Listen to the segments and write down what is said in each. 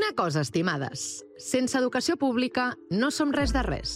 Una cosa, estimades, sense educació pública no som res de res.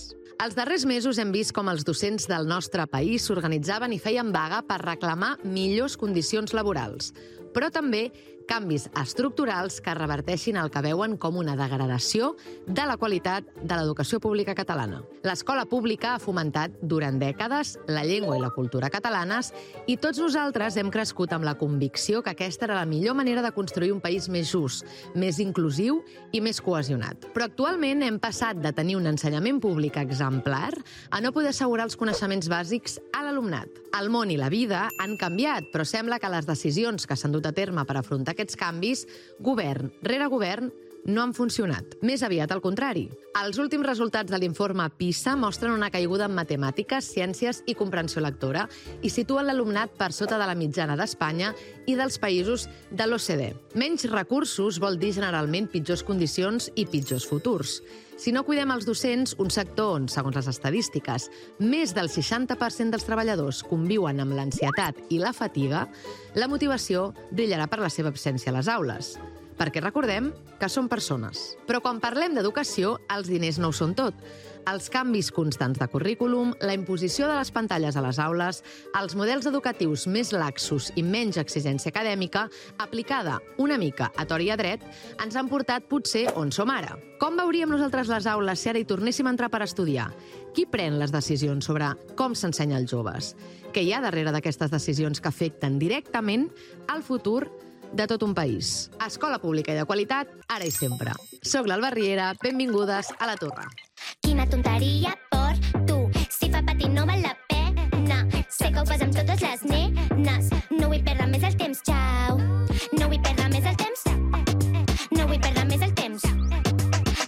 Els darrers mesos hem vist com els docents del nostre país s'organitzaven i feien vaga per reclamar millors condicions laborals, però també canvis estructurals que reverteixin el que veuen com una degradació de la qualitat de l'educació pública catalana. L'escola pública ha fomentat durant dècades la llengua i la cultura catalanes i tots nosaltres hem crescut amb la convicció que aquesta era la millor manera de construir un país més just, més inclusiu i més cohesionat. Però actualment hem passat de tenir un ensenyament públic exemplar a no poder assegurar els coneixements bàsics a l'alumnat. El món i la vida han canviat, però sembla que les decisions que s'han dut a terme per afrontar aquests canvis, govern rere govern, no han funcionat. Més aviat al contrari. Els últims resultats de l'informe PISA mostren una caiguda en matemàtiques, ciències i comprensió lectora i situen l'alumnat per sota de la mitjana d'Espanya i dels països de l'OCDE. Menys recursos vol dir generalment pitjors condicions i pitjors futurs. Si no cuidem els docents, un sector on, segons les estadístiques, més del 60% dels treballadors conviuen amb l'ansietat i la fatiga, la motivació brillarà per la seva absència a les aules. Perquè recordem que són persones. Però quan parlem d'educació, els diners no ho són tot. Els canvis constants de currículum, la imposició de les pantalles a les aules, els models educatius més laxos i menys exigència acadèmica, aplicada una mica a tort i a dret, ens han portat potser on som ara. Com veuríem nosaltres les aules si ara hi tornéssim a entrar per estudiar? Qui pren les decisions sobre com s'ensenya als joves? Què hi ha darrere d'aquestes decisions que afecten directament el futur de tot un país? Escola pública i de qualitat, ara i sempre. Soc l'Alba Riera, benvingudes a La Torre. Quina tonteria per tu. Si fa patir no val la pena. Sé que ho fas amb totes les nenes. No vull perdre més el temps, xau. No vull perdre més el temps. No vull perdre més el temps.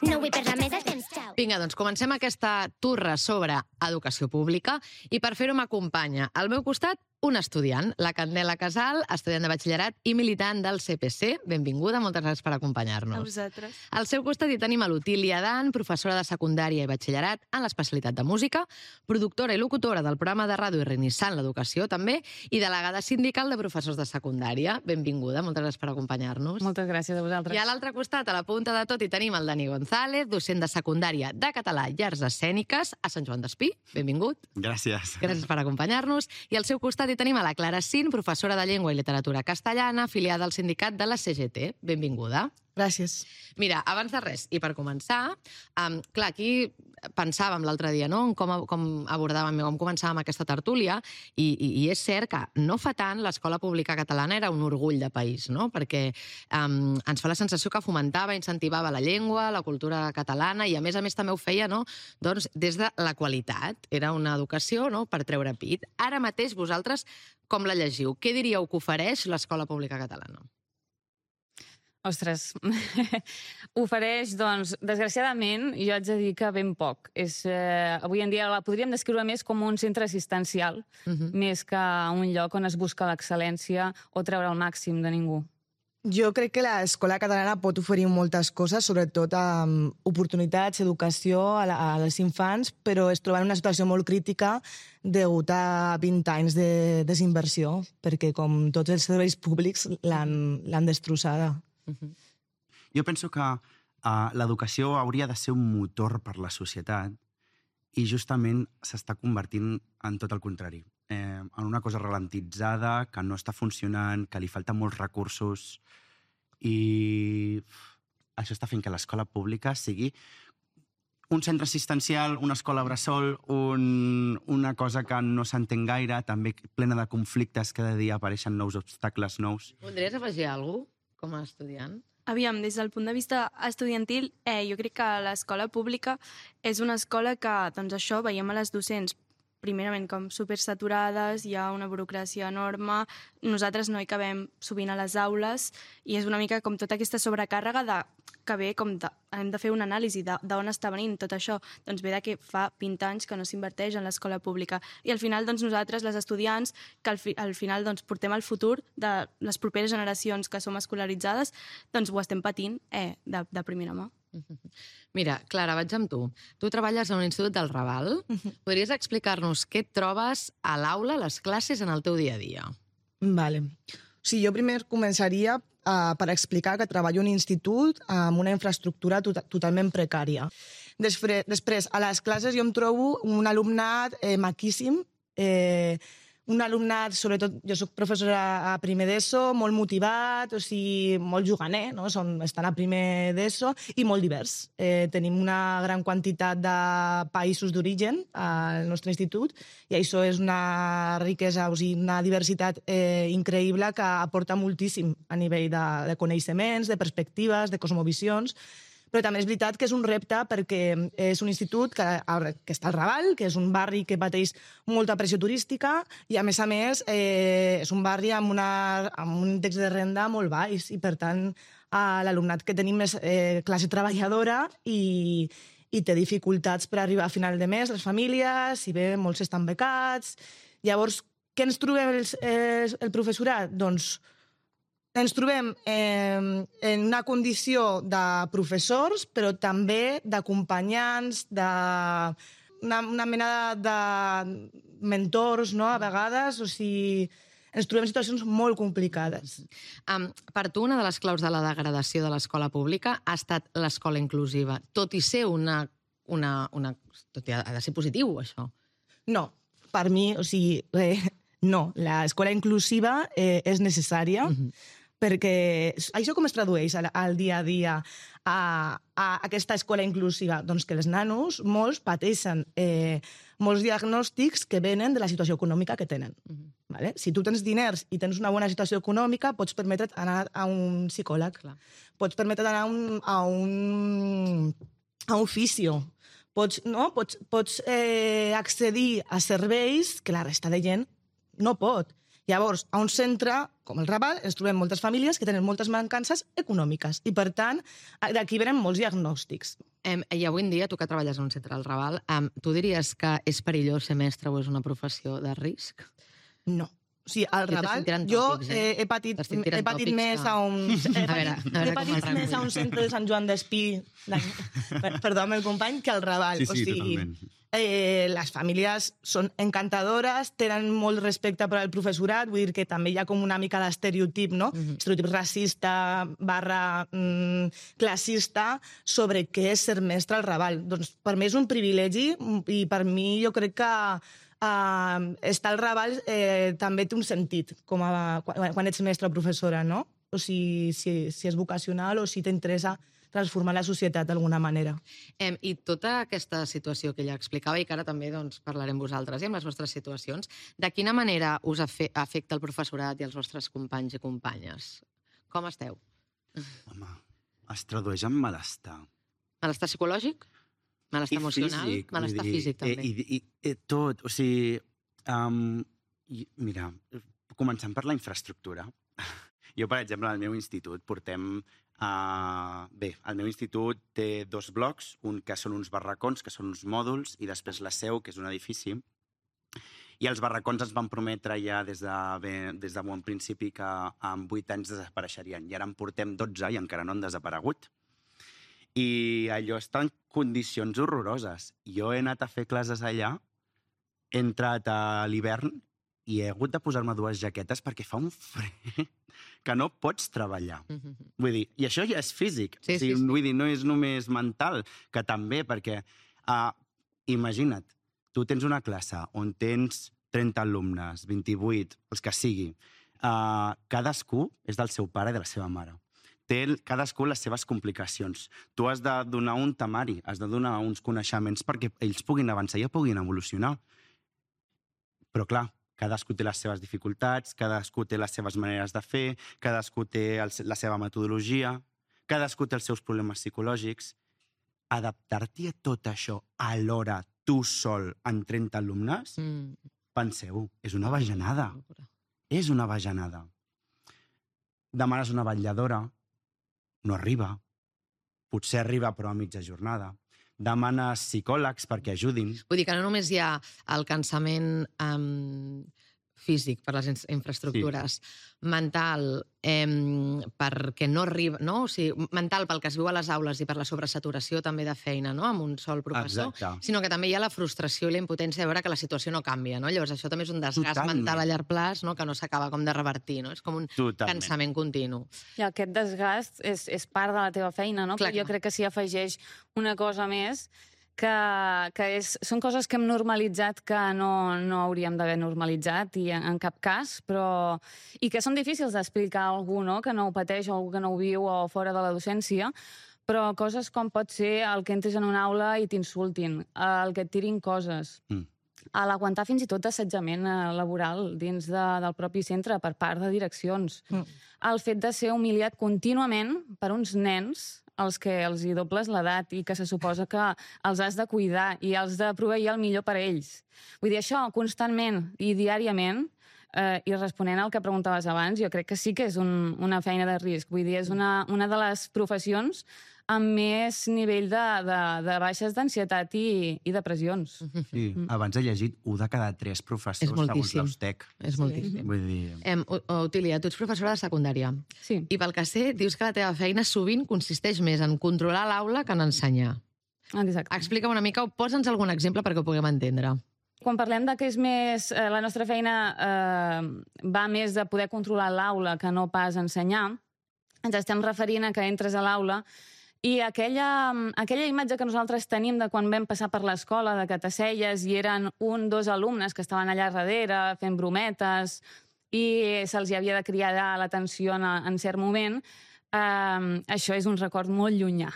No vull perdre més el temps, xau. Vinga, doncs comencem aquesta turra sobre educació pública i per fer-ho m'acompanya al meu costat un estudiant, la Candela Casal, estudiant de batxillerat i militant del CPC. Benvinguda, moltes gràcies per acompanyar-nos. A vosaltres. Al seu costat hi tenim a l'Otília Dan, professora de secundària i batxillerat en l'especialitat de música, productora i locutora del programa de ràdio Renaissant l'Educació, també, i delegada sindical de professors de secundària. Benvinguda, moltes gràcies per acompanyar-nos. Moltes gràcies a vosaltres. I a l'altre costat, a la punta de tot, hi tenim el Dani González, docent de secundària de català i arts escèniques a Sant Joan d'Espí. Benvingut. Gràcies. Gràcies per acompanyar-nos. I al seu costat hi tenim a la Clara Sin, professora de llengua i literatura castellana, afiliada al sindicat de la CGT. Benvinguda. Gràcies. Mira, abans de res, i per començar, clar, aquí pensàvem l'altre dia, no?, en com abordàvem, com començàvem aquesta tertúlia, i és cert que no fa tant l'escola pública catalana era un orgull de país, no?, perquè ens fa la sensació que fomentava, incentivava la llengua, la cultura catalana, i a més també ho feia, no?, doncs des de la qualitat. Era una educació, no?, per treure pit. Ara mateix vosaltres com la llegiu? Què diríeu que ofereix l'escola pública catalana? Ostres, ofereix, doncs, desgraciadament, jo haig de dir que ben poc. Avui en dia la podríem descriure més com un centre assistencial, més que un lloc on es busca l'excel·lència o treure el màxim de ningú. Jo crec que l'escola catalana pot oferir moltes coses, sobretot oportunitats, educació als infants, però es troba en una situació molt crítica degut a 20 anys de desinversió, perquè com tots els serveis públics l'han destrossada. Jo penso que l'educació hauria de ser un motor per la societat i justament s'està convertint en tot el contrari. En una cosa ralentitzada, que no està funcionant, que li falten molts recursos, i això està fent que l'escola pública sigui un centre assistencial, una escola bressol, una cosa que no s'entén gaire, també plena de conflictes, cada dia apareixen nous obstacles nous. Voldries afegir alguna cosa com a estudiant? Aviam, des del punt de vista estudiantil, jo crec que l'escola pública és una escola que, doncs això, veiem a les docents primerament com supersaturades, hi ha una burocràcia enorme, nosaltres no hi cabem sovint a les aules i és una mica com tota aquesta sobrecàrrega que ve com hem de fer una anàlisi d'on està venint tot això. Doncs ve que fa 20 anys que no s'inverteix en l'escola pública i al final doncs nosaltres, les estudiants, que al final doncs portem el futur de les properes generacions que som escolaritzades, doncs ho estem patint de primera mà. Mira, Clara, vaig amb tu. Tu treballes a un institut del Raval. Podries explicar-nos què et trobes a l'aula, a les classes, en el teu dia a dia? Vale. O sigui, jo primer començaria per explicar que treballo en un institut amb una infraestructura totalment precària. Després, a les classes jo em trobo un alumnat maquíssim, un alumnat, sobretot, jo soc professora a primer d'ESO, molt motivat, o sigui, molt juganer, no? Estan a primer d'ESO, i molt divers. Tenim una gran quantitat de països d'origen al nostre institut, i això és una riquesa, o sigui, una diversitat increïble que aporta moltíssim a nivell de coneixements, de perspectives, de cosmovisions. Però també és veritat que és un repte perquè és un institut que està al Raval, que és un barri que pateix molta pressió turística i, a més, és un barri amb un índex de renda molt baix i, per tant, l'alumnat que tenim és classe treballadora i té dificultats per arribar a final de mes, les famílies, si bé molts estan becats. Llavors, què ens trobem el professorat? Doncs ens trobem en una condició de professors, però també d'acompanyants, una mena de mentors, no?, a vegades. O sigui, ens trobem en situacions molt complicades. Per tu, una de les claus de la degradació de l'escola pública ha estat l'escola inclusiva, tot i ser tot i ha de ser positiu, això. No, per mi, o sigui, no. L'escola inclusiva és necessària, perquè això com es tradueix al dia a dia a aquesta escola inclusiva? Doncs que els nanos, molts, pateixen molts diagnòstics que venen de la situació econòmica que tenen. Si tu tens diners i tens una bona situació econòmica, pots permetre't anar a un psicòleg, pots permetre't anar a un fisio, pots accedir a serveis que la resta de gent no pot. Llavors, a un centre com el Raval ens trobem moltes famílies que tenen moltes mancances econòmiques i, per tant, d'aquí venen molts diagnòstics. I avui en dia, tu que treballes en un centre del Raval, tu diries que és perillós ser mestre o és una professió de risc? No. O sigui, al Raval, jo he patit més a un centre de Sant Joan d'Espí, perdó, amb el company, que al Raval. Sí, totalment. Les famílies són encantadores, tenen molt respecte per al professorat, vull dir que també hi ha com una mica d'estereotip, no? Estereotip racista / classista sobre què és ser mestre al Raval. Doncs per mi és un privilegi i per mi jo crec que estar al Raval també té un sentit quan ets mestre o professora, no? O sigui, si és vocacional o si t'interessa transformar la societat d'alguna manera. I tota aquesta situació que ella explicava, i que ara també parlarem vosaltres i amb les vostres situacions, de quina manera us afecta el professorat i els vostres companys i companyes? Com esteu? Home, es tradueix en malestar. Malestar psicològic? Malestar emocional? Malestar físic, també. I tot, o sigui... Mira, començant per la infraestructura. Jo, per exemple, al meu institut portem... Bé, el meu institut té 2 blocs, un que són uns barracons, que són uns mòduls, i després la seu, que és un edifici. I els barracons ens van prometre ja des de bon principi que en 8 anys desapareixerien. I ara en portem 12 i encara no han desaparegut. I allò està en condicions horroroses. Jo he anat a fer classes allà, he entrat a l'hivern i he hagut de posar-me 2 jaquetes perquè fa un fred que no pots treballar. Vull dir, i això ja és físic. Vull dir, no és només mental, que també, perquè imagina't, tu tens una classe on tens 30 alumnes, 28, els que sigui. Cadascú és del seu pare i de la seva mare. Té cadascú les seves complicacions. Tu has de donar un temari, has de donar uns coneixements perquè ells puguin avançar i puguin evolucionar. Però, clar, cadascú té les seves dificultats, cadascú té les seves maneres de fer, cadascú té la seva metodologia, cadascú té els seus problemes psicològics. Adaptar-t'hi a tot això alhora, tu sol, en 30 alumnes, penseu, és una bajanada. És una bajanada. Demanes una vetlladora, no arriba. Potser arriba, però a mitja jornada. Demanes psicòlegs perquè ajudin. Vull dir que no només hi ha el cansament físic, per les infraestructures, mental, perquè no arriba... No? O sigui, mental pel que es viu a les aules i per la sobresaturació també de feina, no? Amb un sol professor, sinó que també hi ha la frustració i la impotència de veure que la situació no canvia, no? Llavors això també és un desgast mental a llarg plaç, no? Que no s'acaba com de revertir, no? És com un cansament continu. I aquest desgast és part de la teva feina, no? Però jo crec que s'hi afegeix una cosa més, que són coses que hem normalitzat que no hauríem d'haver normalitzat i en cap cas, però... i que són difícils d'explicar a algú, no?, que no ho pateix o algú que no ho viu o fora de la docència, però coses com pot ser el que entres en una aula i t'insultin, el que et tirin coses, a l'aguantar fins i tot assetjament laboral dins del propi centre per part de direccions, el fet de ser humiliat contínuament per uns nens als que els hi dobles l'edat i que se suposa que els has de cuidar i els de proveir el millor per a ells. Vull dir, això constantment i diàriament, i responent al que preguntaves abans, jo crec que sí que és una feina de risc. Vull dir, és una de les professions amb més nivell de baixes d'ansietat i depressions. Sí, abans he llegit 1 de cada 3 professors segons l'Ostec. És moltíssim. Vull dir... Otília, tu ets professora de secundària. Sí. I pel que sé, dius que la teva feina sovint consisteix més en controlar l'aula que en ensenyar. Exacte. Explica'm una mica o posa'ns algun exemple perquè ho puguem entendre. Quan parlem de que és més... La nostra feina va més de poder controlar l'aula que no pas ensenyar, ens estem referint a que entres a l'aula i aquella imatge que nosaltres tenim de quan vam passar per l'escola, de que t'asseies i eren 1 o 2 alumnes que estaven allà darrere fent brometes i se'ls havia de cridar l'atenció en cert moment, això és un record molt llunyà.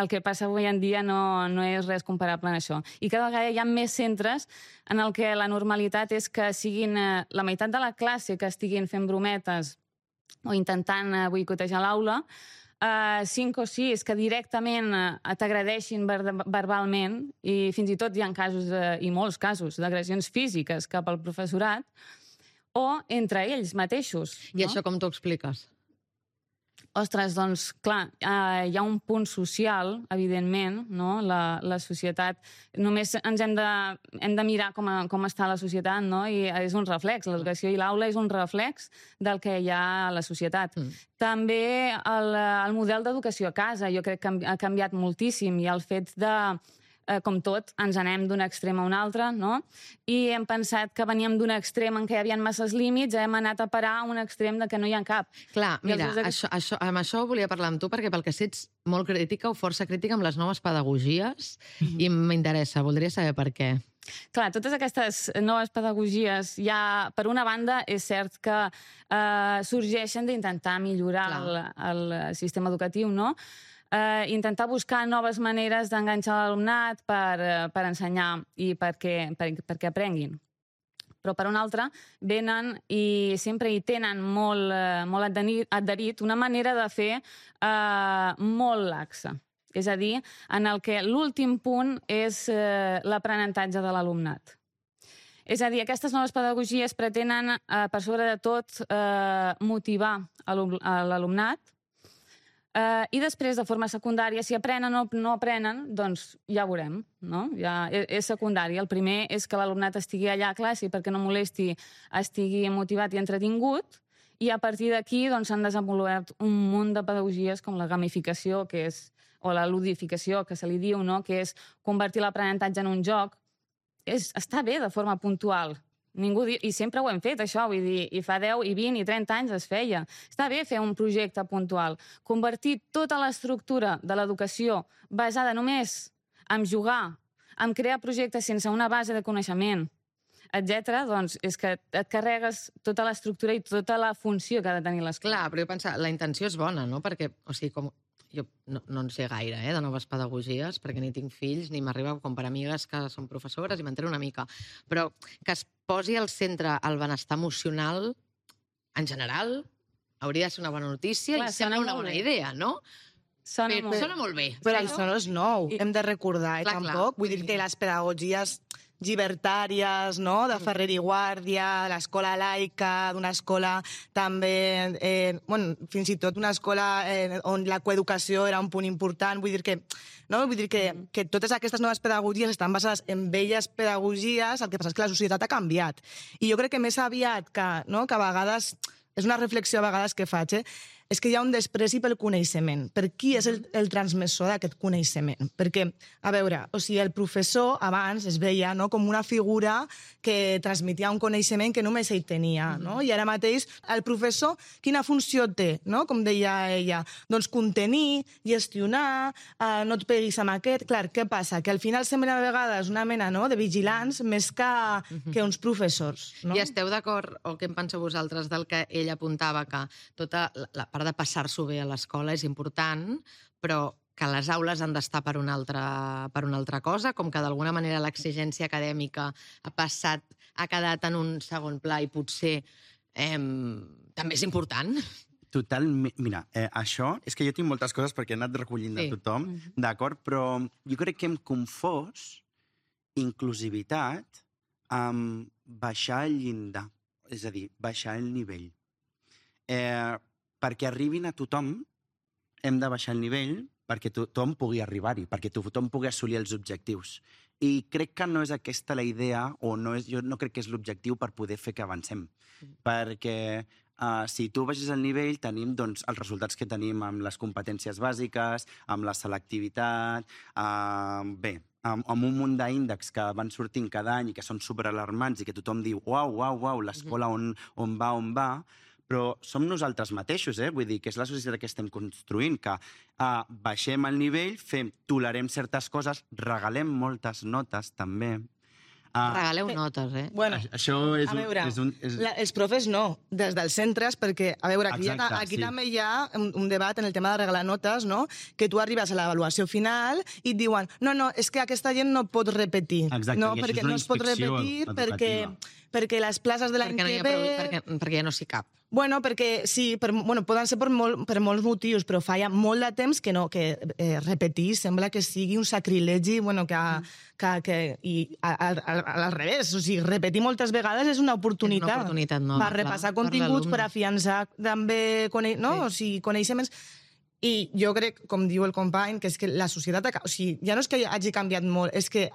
El que passa avui en dia no és res comparable a això. I cada vegada hi ha més centres en el que la normalitat és que siguin la meitat de la classe que estiguin fent brometes o intentant boicotejar l'aula, 5 o 6 que directament t'agredeixin verbalment i fins i tot hi ha casos, i molts casos, d'agressions físiques cap al professorat o entre ells mateixos. I això com t'ho expliques? Ostres, doncs, clar, hi ha un punt social, evidentment, no? La societat... Només ens hem de mirar com està la societat, no? I és un reflex. L'educació i l'aula és un reflex del que hi ha a la societat. També el model d'educació a casa, jo crec que ha canviat moltíssim i el fet de... com tot, ens anem d'un extrem a un altre, no? I hem pensat que veníem d'un extrem en què hi havia masses límits, hem anat a parar a un extrem de que no hi ha cap. Clar, mira, amb això volia parlar amb tu, perquè pel que sé ets molt crítica o força crítica amb les noves pedagogies, i m'interessa, voldria saber per què. Clar, totes aquestes noves pedagogies, ja, per una banda, és cert que sorgeixen d'intentar millorar el sistema educatiu, no? Intentar buscar noves maneres d'enganxar l'alumnat per ensenyar i perquè aprenguin. Però, per una altra, venen i sempre hi tenen molt adherit una manera de fer molt laxa. És a dir, en el que l'últim punt és l'aprenentatge de l'alumnat. És a dir, aquestes noves pedagogies pretenen, per sobre de tot, motivar l'alumnat, i després, de forma secundària, si aprenen o no aprenen, doncs ja ho veurem, no? Ja és secundari. El primer és que l'alumnat estigui allà a classe perquè no molesti, estigui motivat i entretingut, i a partir d'aquí s'han desenvolupat un munt de pedagogies com la gamificació, o la ludificació, que se li diu, no? Que és convertir l'aprenentatge en un joc. Està bé de forma puntual. I sempre ho hem fet, això, vull dir, i fa 10, i 20, i 30 anys es feia. Està bé fer un projecte puntual. Convertir tota l'estructura de l'educació basada només en jugar, en crear projectes sense una base de coneixement, etc., doncs és que et carregues tota l'estructura i tota la funció que ha de tenir l'escola. Clar, però jo penso, la intenció és bona, no? Perquè, o sigui, com... Jo no en sé gaire, de noves pedagogies, perquè ni tinc fills, ni m'arriba com per amigues que són professores i m'entero una mica. Però que es posi al centre el benestar emocional, en general, hauria de ser una bona notícia. Clar, i sembla una bona idea, no? Sona molt molt bé. Però això no és nou, hem de recordar, tampoc. Vull dir que les pedagogies llibertàries, no?, de Ferrer i Guàrdia, l'escola laica, d'una escola també, fins i tot una escola on la coeducació era un punt important, vull dir que totes aquestes noves pedagogies estan basades en velles pedagogies, el que passa és que la societat ha canviat. I jo crec que més aviat que a vegades, és una reflexió a vegades que faig, és que hi ha un despreci pel coneixement. Per qui és el transmissor d'aquest coneixement? Perquè, a veure, el professor abans es veia com una figura que transmetia un coneixement que només ell tenia, no? I ara mateix el professor, quina funció té, no? Com deia ella, doncs contenir, gestionar, no et peguis amb aquest. Clar, què passa? Que al final sembla a vegades una mena de vigilants més que uns professors. No? I esteu d'acord, o què en penseu vosaltres, del que ell apuntava, que tota la part de passar-s'ho bé a l'escola és important, però que les aules han d'estar per una altra cosa, com que d'alguna manera l'exigència acadèmica ha quedat en un segon pla i potser també és important? Totalment. Mira, això és que jo tinc moltes coses perquè he anat recollint de tothom, d'acord? Però jo crec que hem confós inclusivitat amb baixar el llindar, és a dir, baixar el nivell. Perquè arribin a tothom, hem de baixar el nivell perquè tothom pugui arribar-hi, perquè tothom pugui assolir els objectius. I crec que no és aquesta la idea, o jo no crec que és l'objectiu per poder fer que avancem. Perquè si tu baixes el nivell, tenim els resultats que tenim amb les competències bàsiques, amb la selectivitat, amb un munt d'índexs que van sortint cada any i que són superalarmants i que tothom diu uau, l'escola on va, però som nosaltres mateixos, vull dir que és la societat que estem construint, que baixem el nivell, tolerem certes coses, regalem moltes notes, també. Regaleu notes, Bueno, això és a veure, els profes no, des dels centres, perquè, a veure, aquí també hi ha un debat en el tema de regalar notes, no? Que tu arribes a l'avaluació final i et diuen no, és que aquesta gent no pot repetir. Exacte, no, i això perquè és una no es pot inspecció repetir perquè les places de l'any que ve... Perquè ja no s'hi cap. Bueno, perquè sí, poden ser per molts motius, però fa ja molt de temps que repetir sembla que sigui un sacrilegi, i al revés, o sigui, repetir moltes vegades és una oportunitat. És una oportunitat nova, per repassar continguts, per afiançar també coneixements. I jo crec, com diu el company, que és que la societat... O sigui, ja no és que hagi canviat molt, és que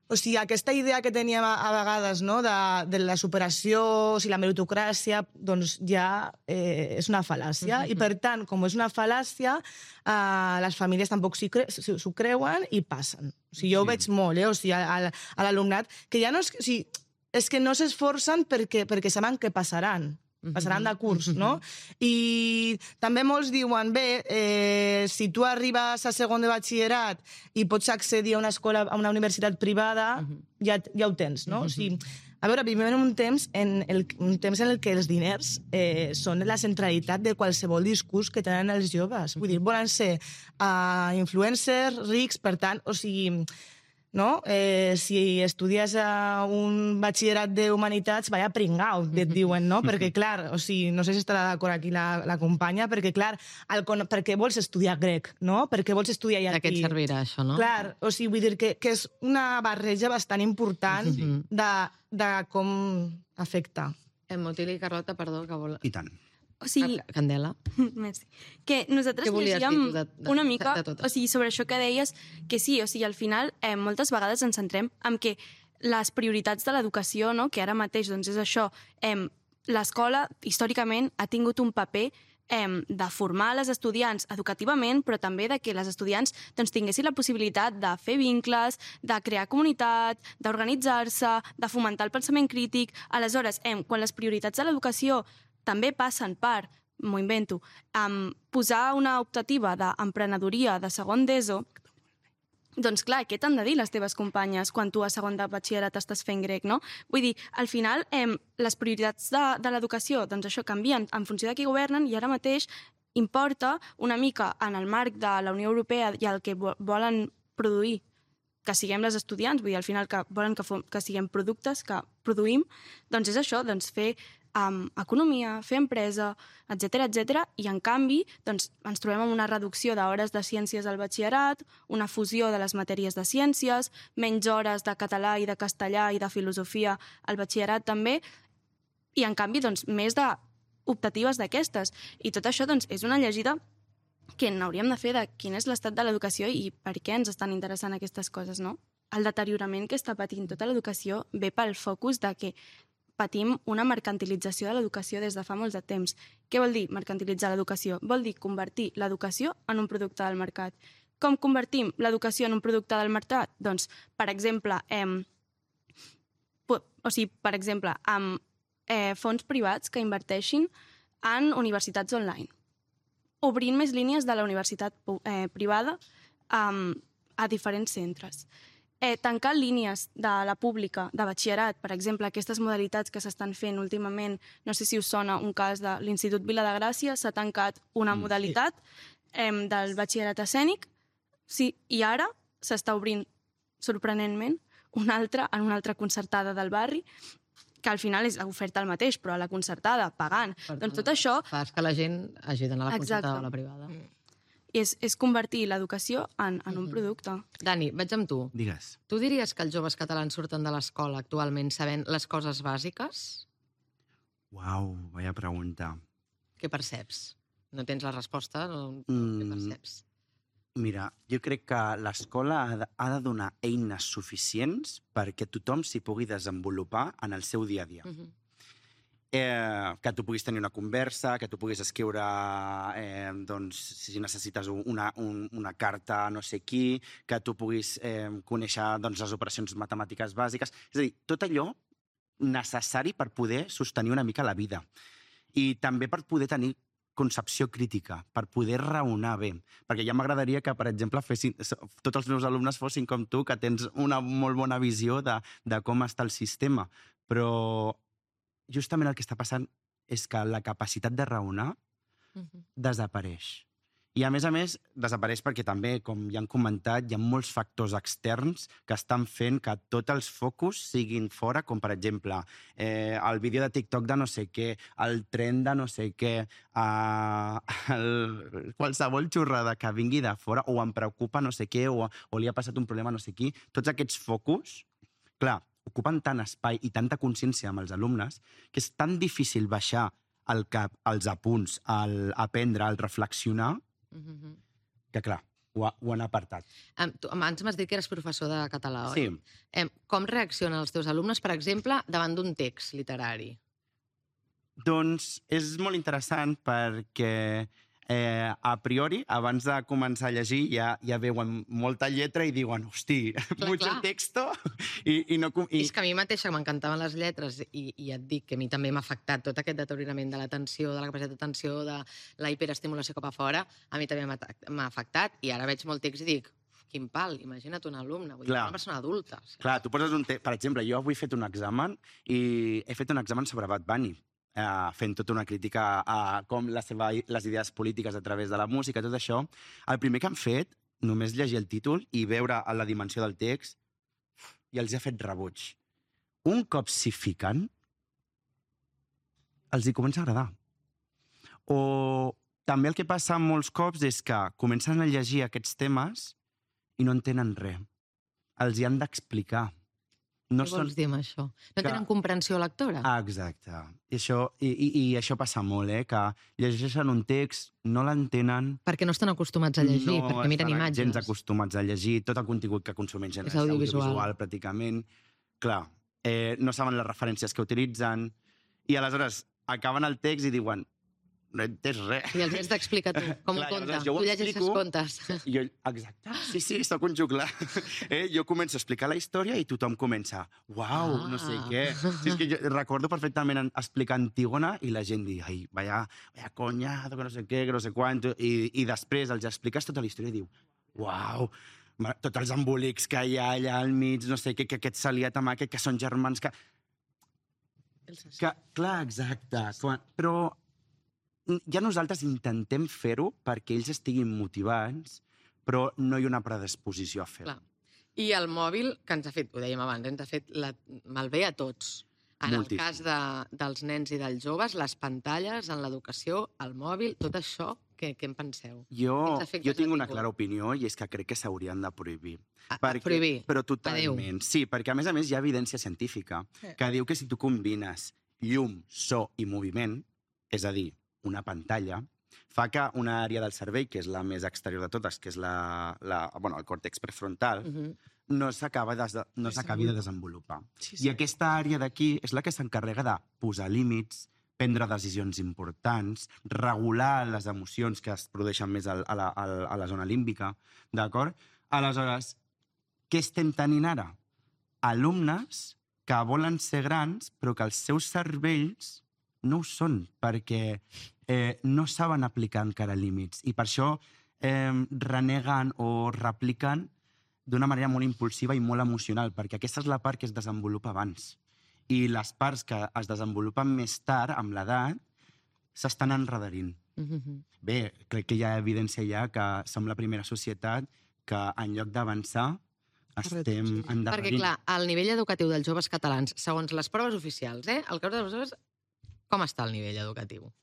o sigui, aquesta idea que teníem a vegades, no?, de la superació, la meritocràcia, doncs ja és una fal·làcia. I, per tant, com és una fal·làcia, les famílies tampoc s'ho creuen i passen. O sigui, jo ho veig molt, o sigui, a l'alumnat, que ja no és... O sigui, és que no s'esforcen perquè saben que passaran de curs, no? I també molts diuen, si tu arribes a segon de batxillerat i pots accedir a una escola, a una universitat privada, ja ho tens, no? O sigui, a veure, vivim en un temps en el que els diners són la centralitat de qualsevol discurs que tenen els joves. Vull dir, volen ser influencers, rics, per tant, o sigui... No? Si estudies a un batxillerat d'Humanitats, vaya pringau, et diuen, no? Perquè, clar, o sigui, no sé si estarà d'acord aquí la companya, perquè, clar, perquè vols estudiar grec, no? Perquè vols estudiar llatí. De què et servirà, això, no? Clar, o sigui, vull dir que és una barreja bastant important de com afecta. Motili i Carlota, perdó, que vol... I tant. O sigui... Candela. Merci. Que nosaltres llegíem una mica, o sigui, sobre això que deies, que sí, o sigui, al final, moltes vegades ens centrem en que les prioritats de l'educació, no?, que ara mateix, doncs, és això, l'escola, històricament, ha tingut un paper de formar les estudiants educativament, però també de que les estudiants doncs, tinguessin la possibilitat de fer vincles, de crear comunitat, d'organitzar-se, de fomentar el pensament crític. Aleshores, quan les prioritats de l'educació també passen per, m'ho invento, posar una optativa d'emprenedoria de segon d'ESO, doncs clar, què t'han de dir les teves companyes quan tu a segon de batxillerat estàs fent grec, no? Vull dir, al final, les prioritats de l'educació, doncs això, canvien en funció de qui governen i ara mateix importa una mica en el marc de la Unió Europea i el que volen produir que siguem les estudiants, vull dir, al final que volen que siguem productes, que produïm, doncs és això, doncs fer economia, fer empresa, etc. I, en canvi, doncs, ens trobem amb una reducció d'hores de ciències al batxillerat, una fusió de les matèries de ciències, menys hores de català i de castellà i de filosofia al batxillerat també, i, en canvi, doncs, més d'optatives d'aquestes. I tot això doncs, és una llegida que n'hauríem de fer de quin és l'estat de l'educació i per què ens estan interessant aquestes coses, no? El deteriorament que està patint tota l'educació ve pel focus de que patim una mercantilització de l'educació des de fa molts de temps. Què vol dir mercantilitzar l'educació? Vol dir convertir l'educació en un producte del mercat. Com convertim l'educació en un producte del mercat? Doncs, per exemple, amb fons privats que inverteixin en universitats online, obrint més línies de la universitat privada a diferents centres. Tancar línies de la pública, de batxillerat, per exemple, aquestes modalitats que s'estan fent últimament, no sé si us sona un cas de l'Institut Vila de Gràcia, s'ha tancat una modalitat del batxillerat escènic, sí, i ara s'està obrint, sorprenentment, una altra en una altra concertada del barri, que al final és l'oferta el mateix, però a la concertada, pagant. Doncs tot això... Fas que la gent hagi d'anar a la concertada o a la privada. És convertir l'educació en un producte. Dani, vaig amb tu. Digues. Tu diries que els joves catalans surten de l'escola actualment sabent les coses bàsiques? Uau, vaya pregunta. Què perceps? No tens la resposta? Què perceps? Mira, jo crec que l'escola ha de donar eines suficients perquè tothom s'hi pugui desenvolupar en el seu dia a dia. Que tu puguis tenir una conversa, que tu puguis escriure, doncs, si necessites una carta a no sé qui, que tu puguis conèixer doncs, les operacions matemàtiques bàsiques. És a dir, tot allò necessari per poder sostenir una mica la vida. I també per poder tenir concepció crítica, per poder raonar bé. Perquè ja m'agradaria que, per exemple, tots els meus alumnes fossin com tu, que tens una molt bona visió de com està el sistema. Però justament el que està passant és que la capacitat de raonar desapareix. I, a més, desapareix perquè també, com ja han comentat, hi ha molts factors externs que estan fent que tots els focus siguin fora, com, per exemple, el vídeo de TikTok de no sé què, el tren de no sé què, qualsevol xorrada que vingui de fora, o em preocupa no sé què, o li ha passat un problema no sé qui. Tots aquests focus, clar, ocupen tant espai i tanta consciència amb els alumnes que és tan difícil baixar al cap, els apunts, aprendre, al reflexionar, que, clar, ho han apartat. Abans m'has dit que eres professor de català, oi? Sí. Com reaccionen els teus alumnes, per exemple, davant d'un text literari? Doncs és molt interessant perquè a priori, abans de començar a llegir, ja veuen molta lletra i diuen, hosti, mucho texto. És que a mi mateixa m'encantaven les lletres i ja et dic que a mi també m'ha afectat tot aquest deteriorament de l'atenció, de la capacitat d'atenció, de la hiperestimulació cap a fora, a mi també m'ha afectat i ara veig molt text i dic, quin pal, imagina't un alumne, vull dir, una persona adulta. Clar, tu poses un text, per exemple, jo avui he fet un examen i he fet un examen sobre Bad Bunny, fent tota una crítica a com les idees polítiques a través de la música, tot això. El primer que han fet, només llegir el títol i veure la dimensió del text, i els ha fet rebuig. Un cop s'hi fiquen, els hi comença a agradar. O també el que passa molts cops és que comencen a llegir aquests temes i no entenen res. Els hi han d'explicar. Què vols dir amb això? No tenen comprensió lectora? Exacte. I això passa molt, que llegeixen un text, no l'entenen... Perquè no estan acostumats a llegir, perquè miren imatges. No estan gens acostumats a llegir, tot el contingut que consumeixen és audiovisual, pràcticament. Clar, no saben les referències que utilitzen, i aleshores acaben el text i diuen, no he entès res. I els has d'explicar tu, com un conte. Tu llegeixes contes. Exacte, sí, sóc un juglar. Jo començo a explicar la història i tothom comença, uau, no sé què. És que jo recordo perfectament explicar Antígona i la gent dir, ai, vaya coñazo, que no sé què, que no sé quant, i després els expliques tota la història i diu, uau, tots els embolics que hi ha allà al mig, no sé què, que aquest s'ha liat amb aquest, que són germans, que... Clar, exacte. Però ja nosaltres intentem fer-ho perquè ells estiguin motivats, però no hi ha una predisposició a fer-ho. I el mòbil, que ens ha fet, ho dèiem abans, ens ha fet malbé a tots. En el cas dels nens i dels joves, les pantalles en l'educació, el mòbil, tot això, què en penseu? Jo tinc una clara opinió i és que crec que s'haurien de prohibir. Prohibir? Però totalment. Sí, perquè a més hi ha evidència científica que diu que si tu combines llum, so i moviment, és a dir, una pantalla, fa que una àrea del cervell, que és la més exterior de totes, que és el còrtex prefrontal, no s'acabi de desenvolupar. I aquesta àrea d'aquí és la que s'encarrega de posar límits, prendre decisions importants, regular les emocions que es produeixen més a la zona límbica, d'acord? Aleshores, què estem tenint ara? Alumnes que volen ser grans, però que els seus cervells no ho són, perquè no saben aplicar encara límits. I per això reneguen o repliquen d'una manera molt impulsiva i molt emocional, perquè aquesta és la part que es desenvolupa abans. I les parts que es desenvolupen més tard, amb l'edat, s'estan enredarint. Bé, crec que hi ha evidència ja que som la primera societat que en lloc d'avançar estem endarrerint. Perquè, clar, el nivell educatiu dels joves catalans, segons les proves oficials, al cap de les proves, com està el nivell educatiu?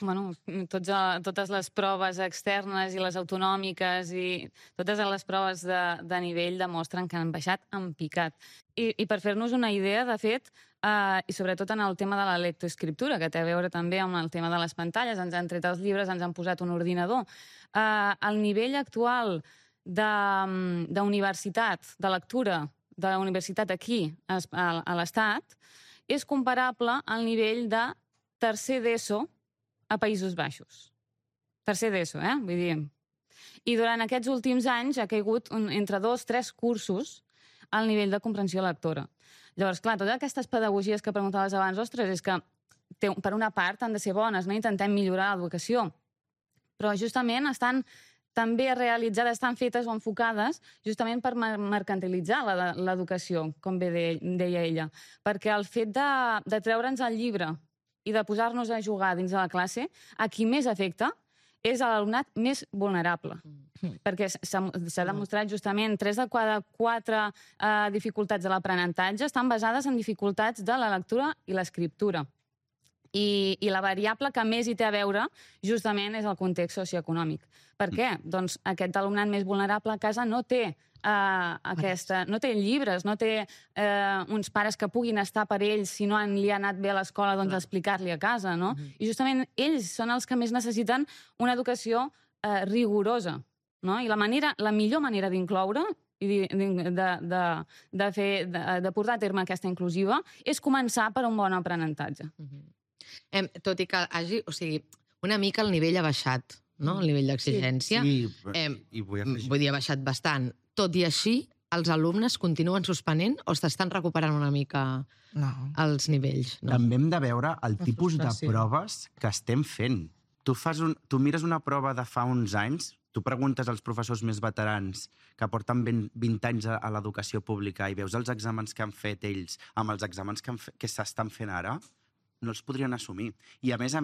Bueno, totes les proves externes i les autonòmiques i totes les proves de nivell demostren que han baixat en picat. I per fer-nos una idea, de fet, i sobretot en el tema de la lectoescriptura, que té a veure també amb el tema de les pantalles, ens han tret els llibres, ens han posat un ordinador. El nivell actual d'universitat, de lectura, de la universitat aquí, a l'Estat, és comparable al nivell de tercer d'ESO a Països Baixos. Tercer d'ESO, vull dir. I durant aquests últims anys ha caigut entre 2-3 cursos al nivell de comprensió lectora. Llavors, clar, totes aquestes pedagogies que preguntaves abans, ostres, és que per una part han de ser bones, no? Intentem millorar l'educació, però justament estan també realitzades, estan fetes o enfocades justament per mercantilitzar l'educació, com bé deia ella. Perquè el fet de treure'ns el llibre i de posar-nos a jugar dins de la classe, a qui més afecta és a l'alumnat més vulnerable. Perquè s'ha demostrat justament 3 de cada 4 dificultats de l'aprenentatge estan basades en dificultats de la lectura i l'escriptura. I la variable que més hi té a veure justament és el context socioeconòmic. Per què? Doncs aquest alumnat més vulnerable a casa no té no té llibres, no té uns pares que puguin estar per ells si no li ha anat bé a l'escola, doncs explicar-li a casa, no? I justament ells són els que més necessiten una educació rigorosa, no? I la millor manera d'incloure i de portar a terme aquesta inclusiva és començar per un bon aprenentatge. Tot i que hagi, o sigui, una mica el nivell ha baixat, no? El nivell d'exigència. Vull dir, ha baixat bastant. Tot i així, els alumnes continuen suspenent o s'estan recuperant una mica els nivells? També hem de veure el tipus de proves que estem fent. Tu mires una prova de fa uns anys, tu preguntes als professors més veterans que porten 20 anys a l'educació pública i veus els exàmens que han fet ells amb els exàmens que s'estan fent ara, no els podrien assumir. I a més,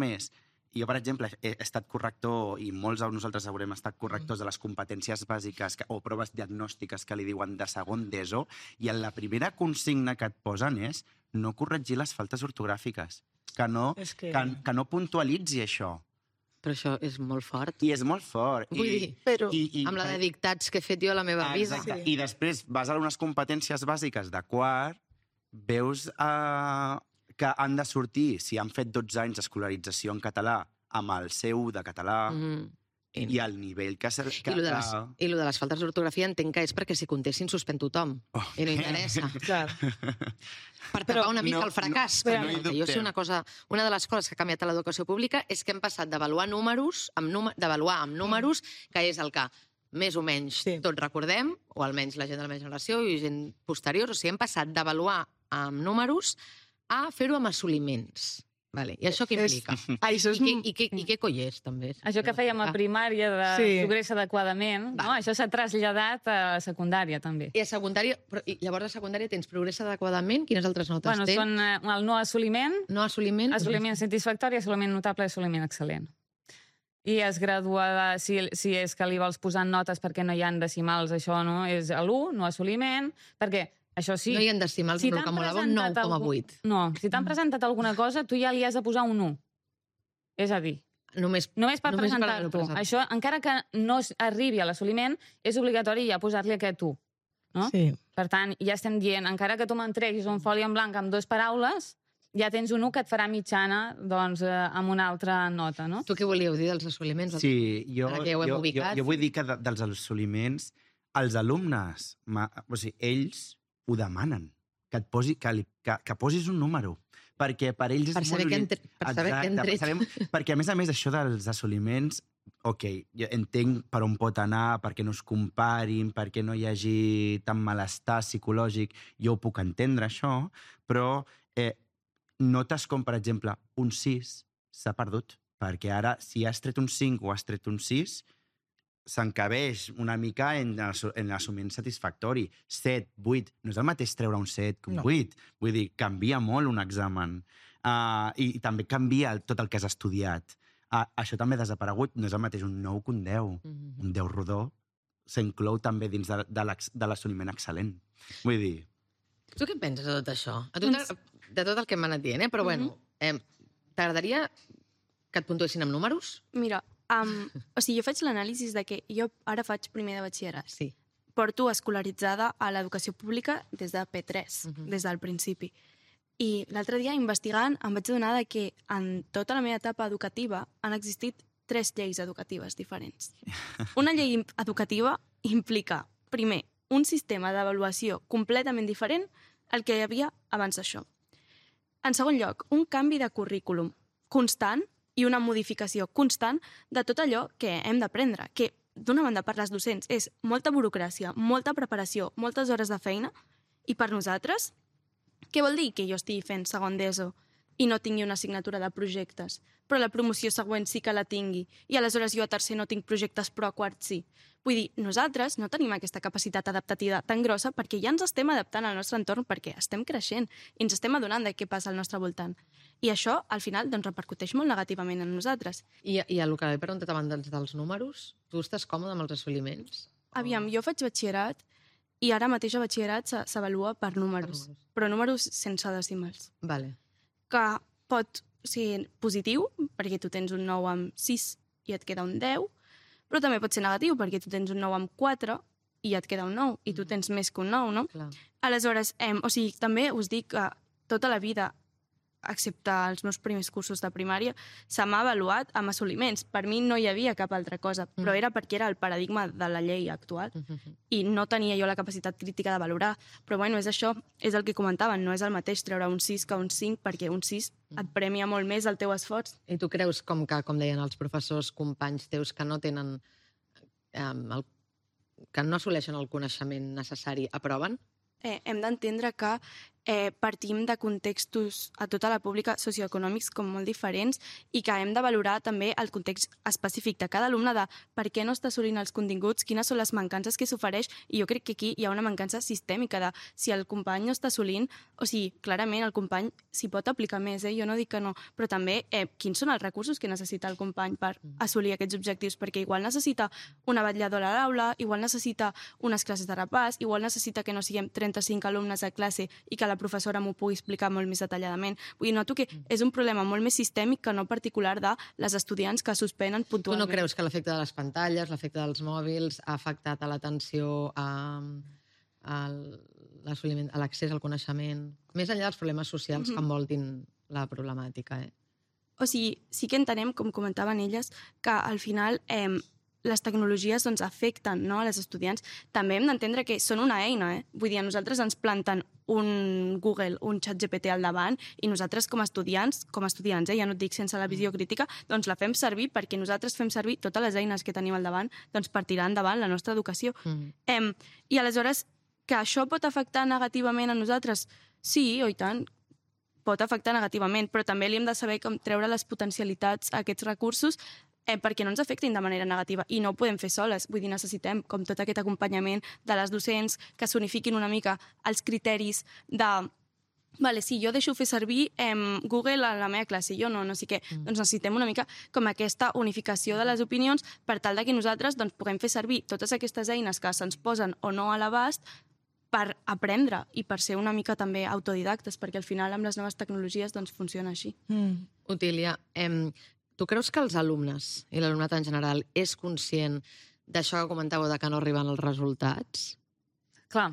jo, per exemple, he estat corrector, i molts de nosaltres haurem estat correctors de les competències bàsiques o proves diagnòstiques que li diuen de segon d'ESO, i en la primera consigna que et posen és no corregir les faltes ortogràfiques, que no puntualitzi això. Però això és molt fort. I és molt fort. Vull dir, amb la de dictats que he fet jo a la meva vida. Exacte. I després vas a unes competències bàsiques de quart, veus que han de sortir, si han fet 12 anys d'escolarització en català, amb el C1 de català, i el nivell que... I lo de les faltes d'ortografia entenc que és perquè si contessin suspèn tothom. I no interessa. Per tapar una mica el fracàs. Jo sé una cosa, una de les coses que ha canviat a l'educació pública és que hem passat d'avaluar números, d'avaluar amb números, que és el que més o menys tots recordem, o almenys la gent de la meva generació i gent posterior, o sigui, hem passat d'avaluar amb números a fer-ho amb assoliments. I això què implica? I què coi és, també? Això que fèiem a primària de progressa adequadament, això s'ha traslladat a secundària, també. I a secundària, llavors a secundària tens progressa adequadament? Quines altres notes tens? Són el no assoliment, assoliment satisfactori, assoliment notable i assoliment excel·lent. I es gradua, si és que li vols posar notes perquè no hi ha decimals, això no és l'1, no assoliment, perquè Això sí. No hi han decimals, Si però t'han que molava un presentat 9,8. No, si t'han presentat alguna cosa, tu ja li has de posar un 1. És a dir, Només només per Només per presentar-t'ho. presentar. Això, encara que no arribi a l'assoliment, és obligatori ja posar-li aquest 1. No? Sí. Per tant, ja estem dient, encara que tu m'entreguis un foli en blanc amb 2 paraules, ja tens un 1 que et farà mitjana doncs, amb una altra nota, no? Tu què volíeu dir dels assoliments? Sí, Ara que ja ho hem ubicat. jo vull dir que dels assoliments, els alumnes, o sigui, ells ho demanen, que posis un número, perquè per ells és Per saber què han tret. Perquè, a més, això dels assoliments, ok, jo entenc per on pot anar, perquè no es comparin, perquè no hi hagi tant malestar psicològic, jo ho puc entendre, això, però notes com, per exemple, un 6 s'ha perdut, perquè ara, si has tret un 5 o has tret un 6, s'encabeix una mica en l'assumint satisfactori. 7, 8, no és el mateix treure un 7 que un 8. Vull dir, canvia molt un examen. I també canvia tot el que has estudiat. Això també ha desaparegut. No és el mateix un 9 que un 10. Un 10 rodó s'inclou també dins de l'assoliment excel·lent. Vull dir... Tu què penses de tot això? De tot el que m'han anat dient, però bueno, t'agradaria que et puntuessin amb números? Mira, o sigui, jo faig l'anàlisi de que jo ara faig primer de batxillerat. Sí. Porto escolaritzada a l'educació pública des de P3, des del principi. I l'altre dia, investigant, em vaig adonar que en tota la meva etapa educativa han existit 3 lleis educatives diferents. Una llei educativa implica, primer, un sistema d'avaluació completament diferent al que hi havia abans d'això. En segon lloc, un canvi de currículum constant i una modificació constant de tot allò que hem d'aprendre, que d'una banda per les docents és molta burocràcia, molta preparació, moltes hores de feina, i per nosaltres, què vol dir que jo estigui fent segon d'ESO i no tingui una assignatura de projectes, però la promoció següent sí que la tingui, i aleshores jo a tercer no tinc projectes però a quart sí? Vull dir, nosaltres no tenim aquesta capacitat adaptativa tan grossa perquè ja ens estem adaptant al nostre entorn perquè estem creixent i ens estem adonant de què passa al nostre voltant. I això, al final, doncs, repercuteix molt negativament en nosaltres. I el que he preguntat abans dels números, tu estàs còmode amb els assoliments? Aviam, jo faig batxillerat i ara mateix a batxillerat s'avalua per números, però números sense decimals. Vale. Que pot ser positiu, perquè tu tens un 9 amb 6 i et queda un 10, però també pot ser negatiu, perquè tu tens un 9 amb 4 i et queda un 9, i tu tens més que un 9, no? Clar. Aleshores, o sigui, també us dic que tota la vida, excepte els meus primers cursos de primària, se m'ha avaluat amb assoliments. Per mi no hi havia cap altra cosa, però era perquè era el paradigma de la llei actual i no tenia jo la capacitat crítica de valorar. Però bueno, és això, és el que comentaven, no és el mateix treure un 6 que un 5, perquè un 6 et premia molt més el teu esforç. I tu creus, com deien els professors, companys teus, que no tenen que no assoleixen el coneixement necessari, aproven? Hem d'entendre que partim de contextos a tota la pública socioeconòmics com molt diferents i que hem de valorar també el context específic de cada alumne de per què no està assolint els continguts, quines són les mancances que s'ofereix, i jo crec que aquí hi ha una mancança sistèmica de si el company no està assolint, o sigui, clarament el company s'hi pot aplicar més, jo no dic que no, però també quins són els recursos que necessita el company per assolir aquests objectius, perquè igual necessita una vetlladora a l'aula, igual necessita unes classes de repàs, igual necessita que no siguem 35 alumnes a classe i que la professora m'ho pugui explicar molt més detalladament. Vull dir, noto que és un problema molt més sistèmic que no particular de les estudiants que suspenen puntualment. Tu no creus que l'efecte de les pantalles, l'efecte dels mòbils ha afectat a l'atenció, a l'assoliment, a l'accés al coneixement, més enllà dels problemes socials que envoltin la problemàtica? O sigui, sí que entenem, com comentaven elles, que al final les tecnologies afecten a les estudiants. També hem d'entendre que són una eina. Vull dir, a nosaltres ens planten un Google, un ChatGPT al davant i nosaltres com a estudiants, ja no et dic sense la visió crítica, doncs la fem servir perquè nosaltres fem servir totes les eines que tenim al davant per tirar endavant la nostra educació. I aleshores, que això pot afectar negativament a nosaltres? Sí, i tant, pot afectar negativament, però també li hem de saber com treure les potencialitats a aquests recursos perquè no ens afectin de manera negativa, i no ho podem fer soles. Vull dir, necessitem com tot aquest acompanyament de les docents, que s'unifiquin una mica els criteris de vale, sí, jo deixo fer servir Google a la meva classe, jo no sé què. Doncs necessitem una mica com aquesta unificació de les opinions per tal que nosaltres puguem fer servir totes aquestes eines que se'ns posen o no a l'abast per aprendre i per ser una mica també autodidactes, perquè al final amb les noves tecnologies doncs funciona així. Otília, tu creus que els alumnes i l'alumnat en general és conscient d'això que comentàveu de que no arriben els resultats? Clar.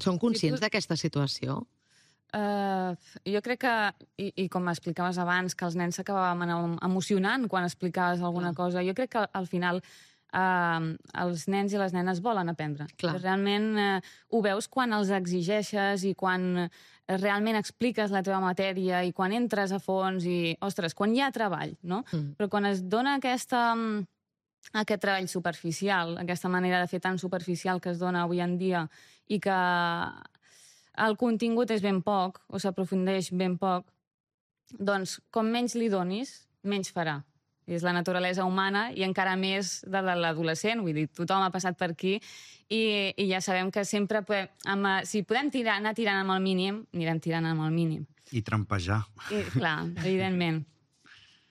Són conscients d'aquesta situació? Jo crec que, i com explicaves abans, que els nens s'acabaven emocionant quan explicaves alguna cosa, jo crec que al final els nens i les nenes volen aprendre. Clar. Realment ho veus quan els exigeixes i quan realment expliques la teva matèria i quan entres a fons i, ostres, quan hi ha treball, no? Però quan es dona aquest treball superficial, aquesta manera de fer tan superficial que es dona avui en dia i que el contingut és ben poc o s'aprofundeix ben poc, doncs com menys li donis, menys farà. És la naturalesa humana i encara més de l'adolescent, vull dir, tothom ha passat per aquí i ja sabem que sempre, si podem anar tirant amb el mínim, anirem tirant amb el mínim. I trampejar. Clar, evidentment.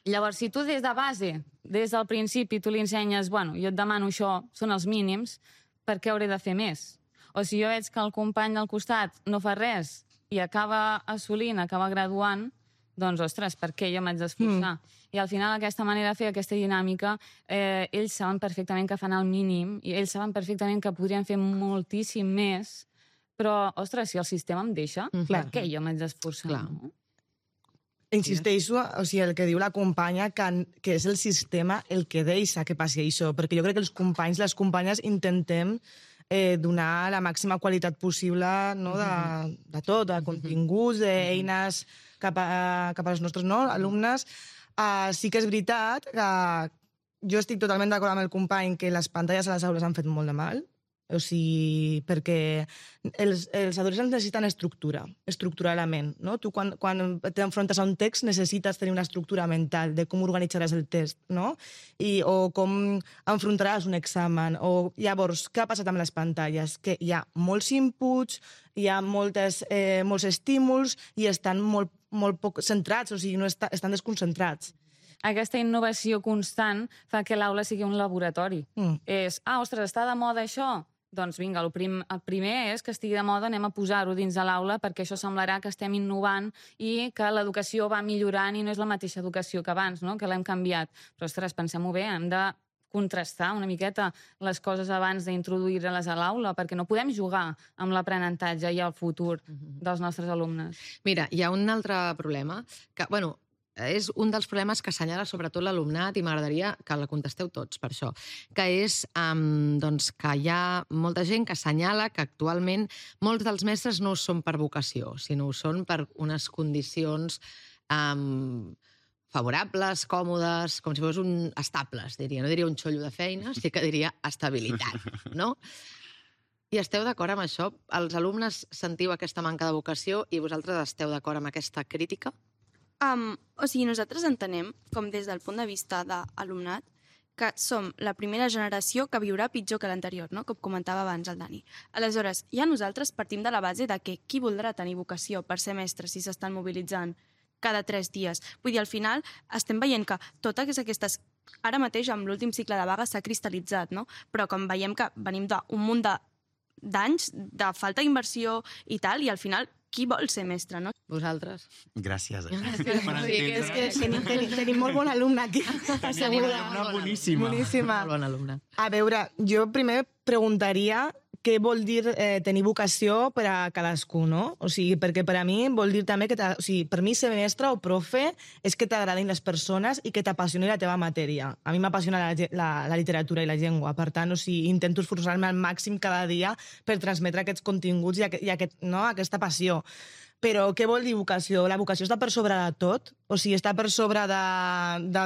Llavors, si tu des de base, des del principi, tu li ensenyes, bueno, jo et demano això, són els mínims, per què hauré de fer més? O si jo veig que el company del costat no fa res i acaba assolint, acaba graduant, doncs, ostres, per què jo m'haig d'esforçar? I al final aquesta manera de fer aquesta dinàmica, ells saben perfectament que fan el mínim i ells saben perfectament que podrien fer moltíssim més, però, ostres, si el sistema em deixa, per què jo m'haig d'esforçar? Insisteixo, o sigui, el que diu la companya, que és el sistema el que deixa que passi això, perquè jo crec que els companys, les companyes, intentem donar la màxima qualitat possible de tot, de continguts, d'eines cap als nostres alumnes. Sí que és veritat que jo estic totalment d'acord amb el company que les pantalles a les aules han fet molt de mal, o sigui, perquè els adolescents necessiten estructuralment, no? Tu quan t'enfrontes a un text necessites tenir una estructura mental de com organitzaràs el text, no? O com enfrontaràs un examen. Llavors, què ha passat amb les pantalles? Que hi ha molts inputs, hi ha molts estímuls i estan molt poc centrats, o sigui, estan desconcentrats. Aquesta innovació constant fa que l'aula sigui un laboratori. Ostres, està de moda això? Doncs vinga, el primer és que estigui de moda, anem a posar-ho dins de l'aula perquè això semblarà que estem innovant i que l'educació va millorant i no és la mateixa educació que abans, no? Que l'hem canviat. Però, ostres, pensem-ho bé, hem de contrastar una miqueta les coses abans d'introduir-les a l'aula, perquè no podem jugar amb l'aprenentatge i el futur dels nostres alumnes. Mira, hi ha un altre problema que, bueno, és un dels problemes que assenyala sobretot l'alumnat i m'agradaria que la contesteu tots per això, que és que hi ha molta gent que assenyala que actualment molts dels mestres no ho són per vocació, sinó ho són per unes condicions favorables, còmodes, com si fos estables, diria. No diria un xollo de feina, sí que diria estabilitat, no? I esteu d'acord amb això? Els alumnes sentiu aquesta manca de vocació i vosaltres esteu d'acord amb aquesta crítica? O sigui, nosaltres entenem, com des del punt de vista de l'alumnat, que som la primera generació que viurà pitjor que l'anterior, no? Com comentava abans el Dani. Aleshores, ja nosaltres partim de la base de que qui voldrà tenir vocació per ser mestre si s'estan mobilitzant cada 3 dies? Vull dir, al final estem veient que totes aquestes... Ara mateix, amb l'últim cicle de vaga, s'ha cristal·litzat, no? Però com veiem que venim d'un munt d'anys de falta d'inversió i tal, i al final qui vol ser mestre, no? Vosaltres? Gràcies. És que tenim molt bon alumne aquí. Tenim una alumna boníssima. Molt bon alumne. A veure, jo primer preguntaria què vol dir tenir vocació per a cadascú, no? O sigui, perquè per a mi vol dir també que... O sigui, per mi ser mestre o profe és que t'agradin les persones i que t'apassioni la teva matèria. A mi m'apassiona la literatura i la llengua, per tant, o sigui, intento esforçar-me al màxim cada dia per transmetre aquests continguts i aquesta passió. Però què vol dir vocació? La vocació està per sobre de tot? O sigui, està per sobre de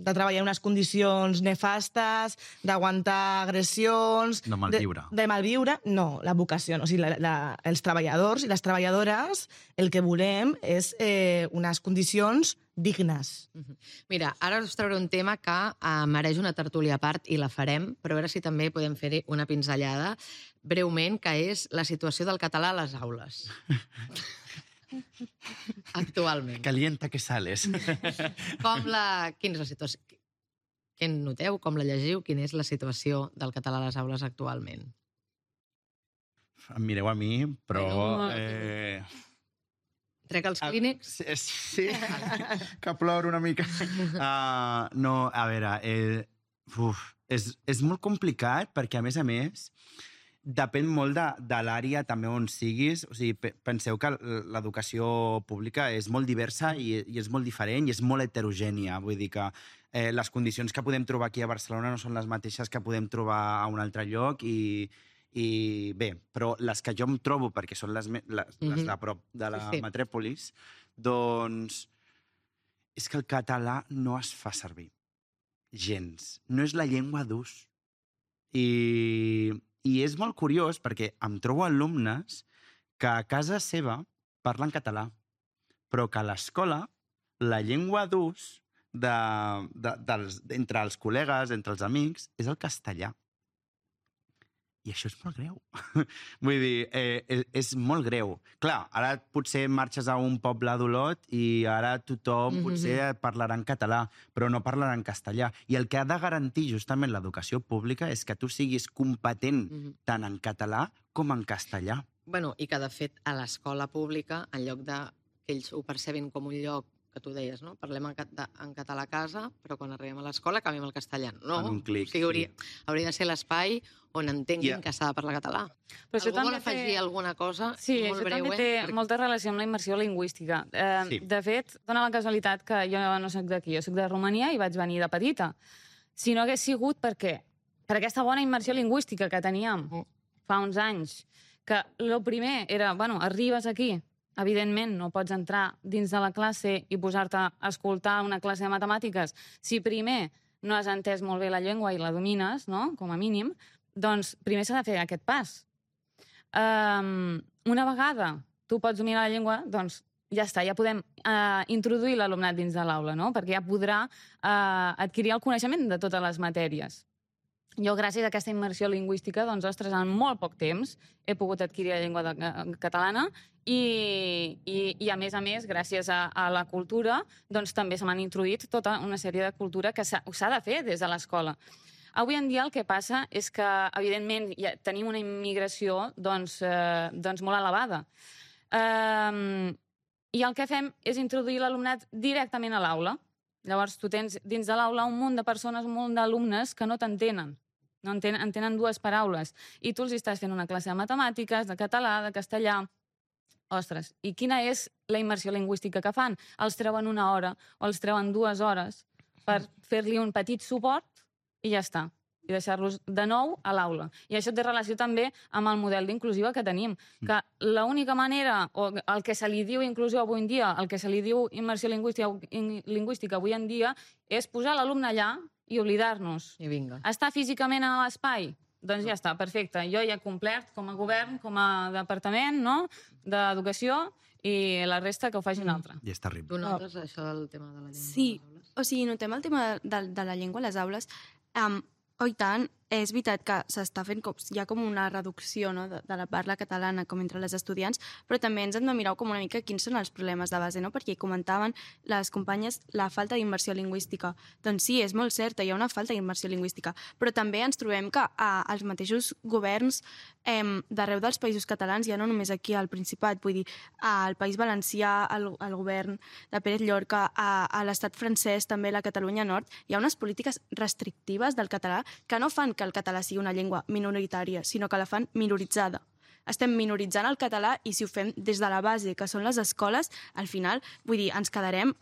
treballar en unes condicions nefastes, d'aguantar agressions... De malviure. De malviure? No, la vocació. O sigui, els treballadors i les treballadores el que volem és unes condicions dignes. Mira, ara us trauré un tema que mereix una tertúlia a part i la farem, però a veure si també podem fer-hi una pinzellada breument, que és la situació del català a les aules. Actualment. Calienta que sales. Quina és la situació? Què en noteu? Com la llegiu? Quina és la situació del català a les aules actualment? em mireu a mi, però... Trec els clínics. Sí, que ploro una mica. No, a veure, és molt complicat perquè, a més, depèn molt de l'àrea també on siguis. O sigui, penseu que l'educació pública és molt diversa i és molt diferent i és molt heterogènia. Vull dir que les condicions que podem trobar aquí a Barcelona no són les mateixes que podem trobar a un altre lloc i bé, però les que jo em trobo, perquè són les de prop de la metròpolis, doncs és que el català no es fa servir. Gens. No és la llengua d'ús. I és molt curiós perquè em trobo alumnes que a casa seva parlen català, però que a l'escola la llengua d'ús entre els col·legues, entre els amics, és el castellà. I això és molt greu. Vull dir, és molt greu. Clar, ara potser marxes a un poble d'Olot i ara tothom potser parlarà en català, però no parlarà en castellà. I el que ha de garantir justament l'educació pública és que tu siguis competent tant en català com en castellà. Bueno, i que, de fet, a l'escola pública, en lloc de que ells ho percebin com un lloc que tu deies, no? Parlem en català a casa, però quan arribem a l'escola canviem el castellà. No, en un clic. O sigui, hauria de ser l'espai on entenguin que s'ha de parlar català. Però algú vol afegir alguna cosa? Sí, molt breu, també té molta relació amb la immersió lingüística. De fet, dona la casualitat que jo no soc d'aquí, jo soc de Romania i vaig venir de petita. Si no hagués sigut per aquesta bona immersió lingüística que teníem fa uns anys, que el primer era, arribes aquí, evidentment, no pots entrar dins de la classe i posar-te a escoltar una classe de matemàtiques. Si primer no has entès molt bé la llengua i la domines, no?, com a mínim, doncs primer s'ha de fer aquest pas. Una vegada tu pots dominar la llengua, doncs ja està, ja podem introduir l'alumnat dins de l'aula, no?, perquè ja podrà adquirir el coneixement de totes les matèries. Jo, gràcies a aquesta immersió lingüística, doncs, ostres, en molt poc temps he pogut adquirir la llengua catalana i a més, gràcies a la cultura, doncs també se m'han introduït tota una sèrie de cultura que s'ha de fer des de l'escola. Avui en dia el que passa és que, evidentment, tenim una immigració doncs molt elevada. I el que fem és introduir l'alumnat directament a l'aula. Llavors, tu tens dins de l'aula un munt de persones, un munt d'alumnes que no t'entenen. No entenen dues paraules. I tu els estàs fent una classe de matemàtiques, de català, de castellà. Ostres, i quina és la immersió lingüística que fan? Els treuen 1 hora o els treuen 2 hores per fer-li un petit suport i ja està. I deixar-los de nou a l'aula. I això té relació també amb el model d'inclusiva que tenim. Que l'única manera, o el que se li diu inclusió avui en dia, el que se li diu immersió lingüística avui en dia, és posar l'alumne allà i oblidar-nos. I vinga. Estar físicament a l'espai? Doncs ja està, perfecte. Jo ja he complert com a govern, com a departament, no?, d'educació, i la resta que ho faci un altre. I és terrible. Tu notes això del tema de la llengua? Sí, o sigui, notem el tema de la llengua a les aules. I tant, és veritat que s'està fent hi ha com una reducció, no?, de la parla catalana com entre les estudiants, però també ens hem de mirar com una mica quins són els problemes de base, no?, perquè comentaven les companyes la falta d'immersió lingüística. Doncs sí, és molt cert, hi ha una falta d'immersió lingüística, però també ens trobem que els mateixos governs d'arreu dels països catalans, ja no només aquí al Principat, vull dir, al País Valencià, el govern de Pérez Llorca, a l'estat francès, també la Catalunya Nord, hi ha unes polítiques restrictives del català que no fan que el català sigui una llengua minoritària, sinó que la fan minoritzada. Estem minoritzant el català i si ho fem des de la base, que són les escoles, al final, vull dir, ens quedarem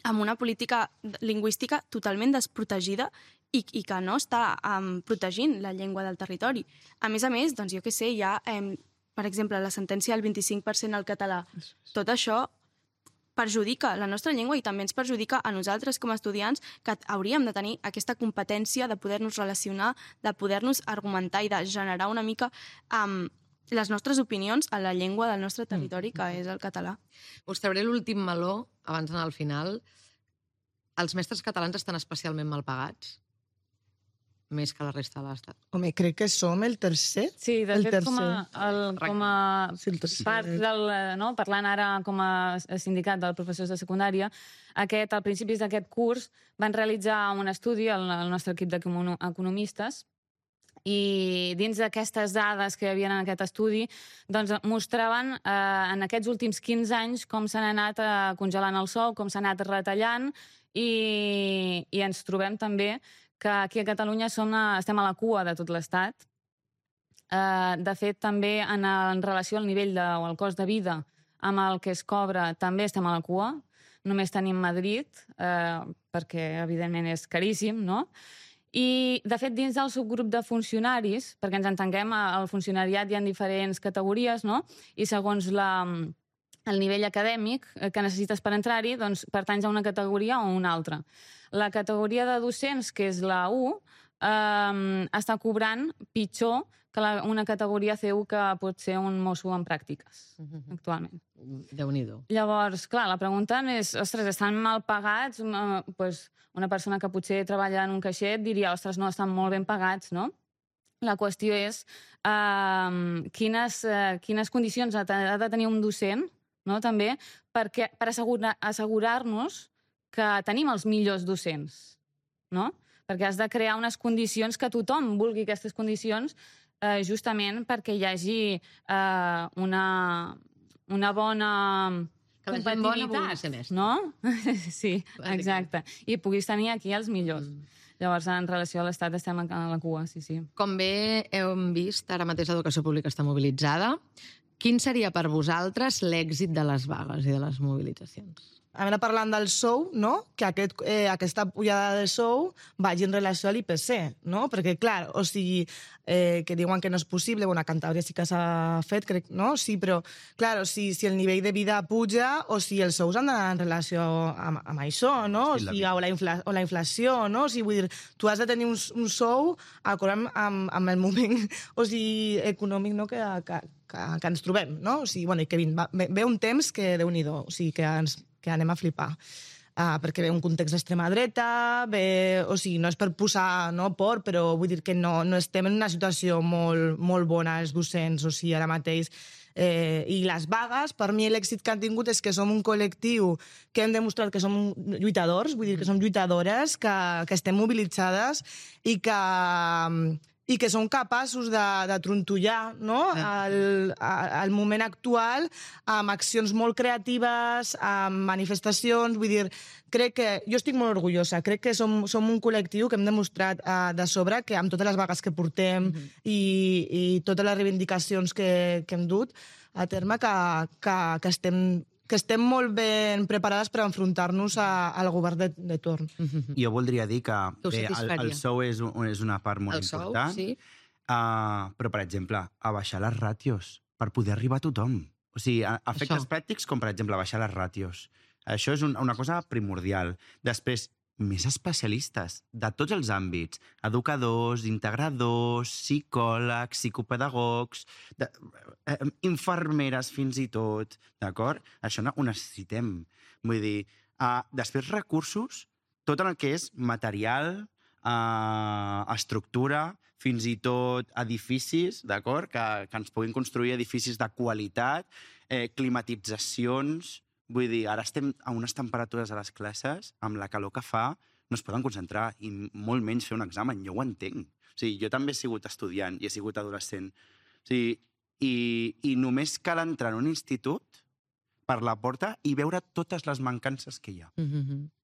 amb una política lingüística totalment desprotegida i que no està protegint la llengua del territori. A més, doncs jo què sé, hi ha, per exemple, la sentència del 25% al català. Tot això perjudica la nostra llengua i també ens perjudica a nosaltres com a estudiants que hauríem de tenir aquesta competència de poder-nos relacionar, de poder-nos argumentar i de generar una mica les nostres opinions a la llengua del nostre territori, que és el català. Us trauré l'últim meló, abans d'anar al final. Els mestres catalans estan especialment mal pagats? Més que la resta de l'Estat. Home, crec que som el tercer. Sí, de fet, com a part del... Parlant ara com a sindicat dels professors de secundària, a principis d'aquest curs van realitzar un estudi al nostre equip d'economistes I dins d'aquestes dades que hi havia en aquest estudi, doncs mostraven en aquests últims 15 anys com s'han anat congelant el sou, com s'ha anat retallant, i ens trobem també que aquí a Catalunya estem a la cua de tot l'Estat. De fet, també en relació al nivell o al cost de vida amb el que es cobra, també estem a la cua. Només tenim Madrid, perquè evidentment és caríssim, no? I, de fet, dins del subgrup de funcionaris, perquè ens entenguem, al funcionariat hi ha diferents categories, no? I segons el nivell acadèmic que necessites per entrar-hi, doncs pertanys a una categoria o a una altra. La categoria de docents, que és la U, està cobrant pitjor que una categoria C1 que pot ser un mosso en pràctiques, actualment. Déu-n'hi-do. Llavors, clar, la pregunta és, ostres, estan mal pagats? Una persona que potser treballa en un caixet diria, ostres, no, estan molt ben pagats, no? La qüestió és quines condicions ha de tenir un docent, no?, també, per assegurar-nos que tenim els millors docents, no? Perquè has de crear unes condicions que tothom vulgui aquestes condicions, justament perquè hi hagi una bona competitivitat, no? Sí, exacte. I puguis tenir aquí els millors. Llavors, en relació a l'Estat, estem a la cua, sí. Com bé hem vist, ara mateix l'educació pública està mobilitzada. Quin seria per vosaltres l'èxit de les vagues i de les mobilitzacions? Ara parlant del sou, no? Que aquesta pujada de sou vagi en relació a l'IPC, no? Perquè, clar, o sigui, que diuen que no és possible, bueno, a Cantàbria sí que s'ha fet, crec, no? Sí, però, clar, o sigui, si el nivell de vida puja o si els sous han d'anar en relació amb això, no? O sigui, o la inflació, no? O sigui, vull dir, tu has de tenir un sou acord amb el moment, o sigui, econòmic, no?, que ens trobem, no? O sigui, bueno, i que ve un temps que, Déu-n'hi-do, o sigui, que anem a flipar. Perquè ve un context d'extrema dreta, o sigui, no és per posar por, però vull dir que no estem en una situació molt bona els docents, o sigui, ara mateix. I les vagues, per mi l'èxit que han tingut és que som un col·lectiu que hem demostrat que som lluitadors, vull dir que som lluitadores, que estem mobilitzades i que som capaços de trontollar, no?, al moment actual amb accions molt creatives, amb manifestacions. Vull dir, crec que jo estic molt orgullosa, crec que som un col·lectiu que hem demostrat de sobre que amb totes les vagues que portem i totes les reivindicacions que hem dut a terme que estem molt ben preparades per enfrontar-nos al govern de torn. Jo voldria dir que el sou és una part molt important, sí. Però, per exemple, a baixar les ràtios per poder arribar a tothom. O sigui, efectes pràctics com, per exemple, baixar les ràtios. Això és una cosa primordial. Després, més especialistes de tots els àmbits, educadors, integradors, psicòlegs, psicopedagogs, infermeres fins i tot, d'acord? Això ho necessitem. Vull dir, després recursos, tot el que és material, estructura, fins i tot edificis, d'acord? Que ens puguin construir edificis de qualitat, climatitzacions. Vull dir, ara estem a unes temperatures a les classes, amb la calor que fa, no es poden concentrar, i molt menys fer un examen, jo ho entenc. O sigui, jo també he sigut estudiant i he sigut adolescent. O sigui, i només cal entrar en un institut per la porta i veure totes les mancances que hi ha.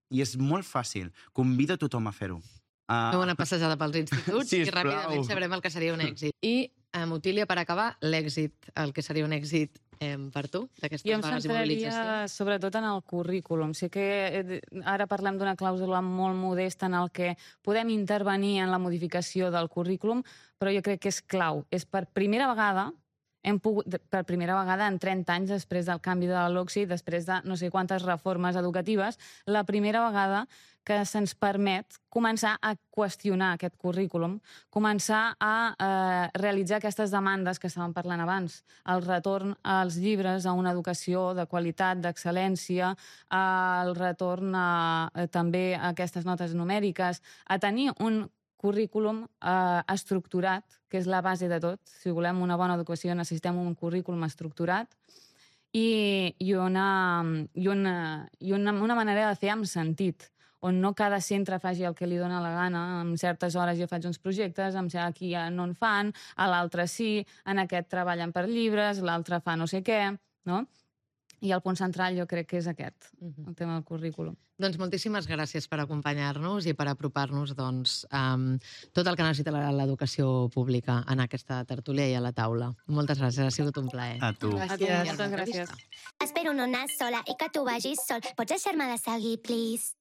I és molt fàcil. Convido a tothom a fer-ho. Fem una passejada pels instituts i Sisplau. ràpidament sabrem el que seria un èxit. I, Otília, per acabar, l'èxit, el que seria un èxit per tu, d'aquestes vagues i mobilitzacions? Jo em centraria sobretot en el currículum. Sé que ara parlem d'una clàusula molt modesta en el que podem intervenir en la modificació del currículum, però jo crec que és clau. És per primera vegada en 30 anys després del canvi de la LOCSI, després de no sé quantes reformes educatives, la primera vegada que se'ns permet començar a qüestionar aquest currículum, començar a realitzar aquestes demandes que estàvem parlant abans, el retorn als llibres, a una educació de qualitat, d'excel·lència, el retorn també a aquestes notes numèriques, a tenir un currículum estructurat, que és la base de tot. Si volem una bona educació necessitem un currículum estructurat i una manera de fer amb sentit. on no cada centre faci el que li dóna la gana. En certes hores jo faig uns projectes, aquí ja no en fan, a l'altre sí, en aquest treballen per llibres, l'altre fa no sé què, no? I el punt central jo crec que és aquest, el tema del currículum. Doncs moltíssimes gràcies per acompanyar-nos i per apropar-nos tot el que necessita l'educació pública en aquesta tertúlia i a la taula. Moltes gràcies, ha sigut un plaer. A tu. Gràcies. Moltes gràcies. Espero no anar sola i que tu vagis sol. Pots deixar-me de seguir, please?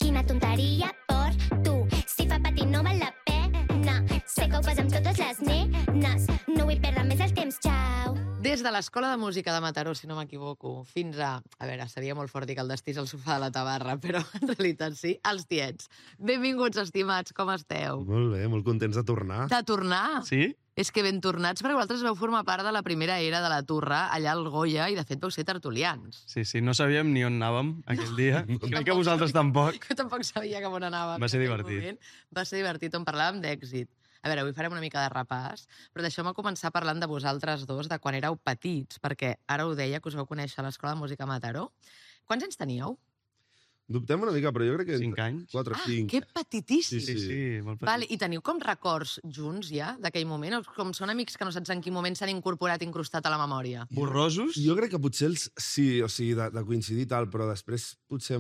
Quina tonteria per tu. Si fa patir no val la pena. Sé que ho fas amb totes les nenes. No vull perdre més el temps, ciao. Des de l'Escola de Música de Mataró, si no m'equivoco, fins a... A veure, seria molt fort dir que el destí és el sofà de la tabarra, però en realitat sí, els tiets. Benvinguts, estimats, com esteu? Molt bé, molt contents de tornar. De tornar? Sí? És que ben tornats, perquè vosaltres vau formar part de la primera era de la Turra, allà al Goya, i de fet vau ser tertulians. Sí, no sabíem ni on anàvem aquell dia. Crec que vosaltres tampoc. Jo tampoc sabia cap on anàvem. Va ser en aquell divertit. moment. Va ser divertit, on parlàvem d'èxit. A veure, avui farem una mica de repàs, però deixeu-me començar parlant de vosaltres dos, de quan éreu petits, perquè ara ho deia, que us vau conèixer a l'Escola de Música Mataró. Quants anys teníeu? Dubtem una mica, però jo crec que... 5 anys. 4 o 5. Que petitíssims! Sí, molt petit. Vale, i teniu com records junts ja d'aquell moment? O com són amics que no saps en quin moment s'han incorporat, incrustat a la memòria? Borrosos? Jo crec que potser els sí, o sigui, de coincidir i tal, però després potser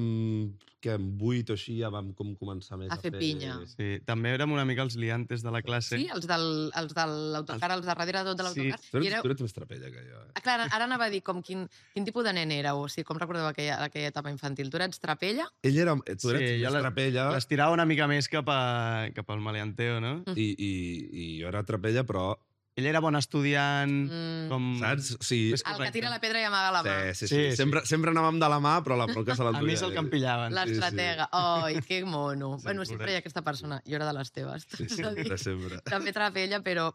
que en 8 o així ja vam com començar més A fer pinya. Sí, també érem una mica els liantes de la classe. Sí, els de l'autocar, els de darrere de tot de l'autocar. Tu I éreu... ets més trapella que jo. Ah, clar, ara anava a dir com quin tipus de nen éreu, o sigui, com recordeu aquella etapa infantil? Tu eres trapella? Ell era... Tu eres jo més trapella l'estirava una mica més cap al maleanteo, no? i jo era trapella, però... Ell era bon estudiant, com... Saps? Sí. Més El que correcte. tira la pedra i amaga la mà. Sí. Sí. Sempre anàvem de la mà, però la polca se A l'enduia. mi se'l campillaven. L'estratega. Ai, que mono. Sí, Bueno, sempre hi ha aquesta persona. Jo era de les teves. Sí, sempre. També trapella, però...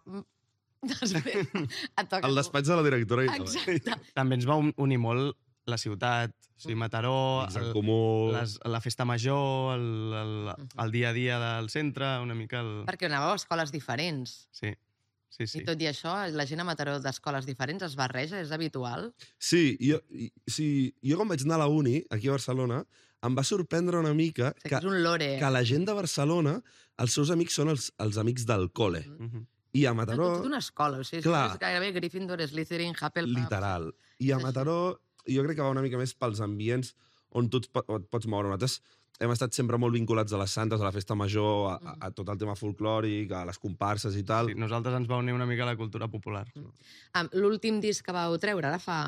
Després et toca... El despatx de la directora i tot. Exacte. També ens va unir molt la ciutat, o sigui, Mataró, Amics en comú... la festa major, el dia a dia del centre, una mica el... Perquè anàveu a escoles diferents. Sí. I tot i això, la gent a Mataró d'escoles diferents es barreja, és habitual? Sí, jo quan vaig anar a la uni, aquí a Barcelona, em va sorprendre una mica O sigui, que és un lore. que la gent de Barcelona, els seus amics són els amics del col·le. I a Mataró... Tota una escola, o sigui, Clar. és gairebé Gryffindor, Slytherin, Hufflepuff... Literal. I a Mataró jo crec que va una mica més pels ambients on tu et pots moure. Nosaltres hem estat sempre molt vinculats a les santes, a la festa major, a tot el tema folclòric, a les comparses i tal. Sí, nosaltres ens va unir una mica a la cultura popular. L'últim disc que vau treure, ara fa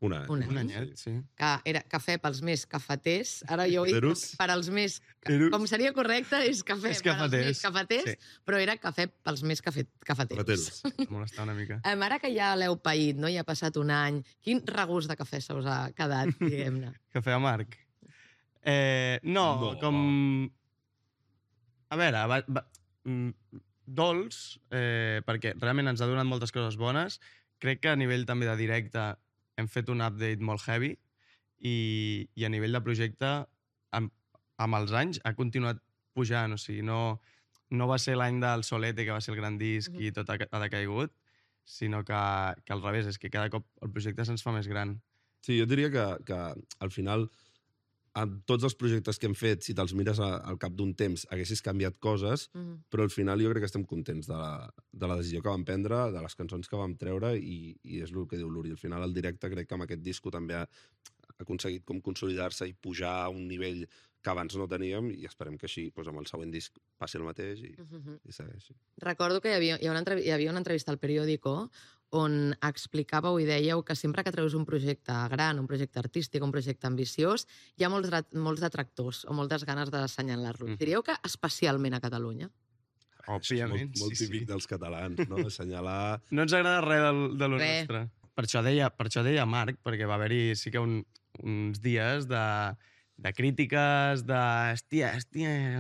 Un any. Un anyet, sí. que era cafè pels més cafeters, ara jo ho dic Cafeteros. per als més... Cafeteros. Com seria correcte, és cafè És per als cafeters. més cafeters, Sí. però era cafè pels més cafeteros. Cafeteros. Molestar una mica. Ara que ja l'heu paït, no? Ja ha passat un any, quin regust de cafè se us ha quedat, diguem-ne? Cafè amarg. No, com... A veure, dolç, perquè realment ens ha donat moltes coses bones. Crec que a nivell també de directe hem fet un update molt heavy i a nivell de projecte, amb els anys, ha continuat pujant. O sigui, no va ser l'any del Solete, que va ser el gran disc i tot ha decaigut, sinó que al revés, és que cada cop el projecte se'ns fa més gran. Sí, jo diria que al final, amb tots els projectes que hem fet, si te'ls mires al cap d'un temps, haguessis canviat coses, però al final jo crec que estem contents de la decisió que vam prendre, de les cançons que vam treure, i és el que diu l'Uri. Al final, el directe, crec que amb aquest disco també ha aconseguit com consolidar-se i pujar a un nivell que abans no teníem, i esperem que així, doncs, amb el següent disc passi el mateix i segueixi. Recordo que hi havia una entrevista al Periódico on explicàveu i dèieu que sempre que treus un projecte gran, un projecte artístic, un projecte ambiciós, hi ha molts detractors o moltes ganes d'assenyalar-lo. Diríeu que especialment a Catalunya? Òbviament, molt típic dels catalans, no? Assenyalar... No ens agrada res de lo nostre. Per això deia Marc, perquè va haver-hi sí que uns dies de crítiques, hòstia,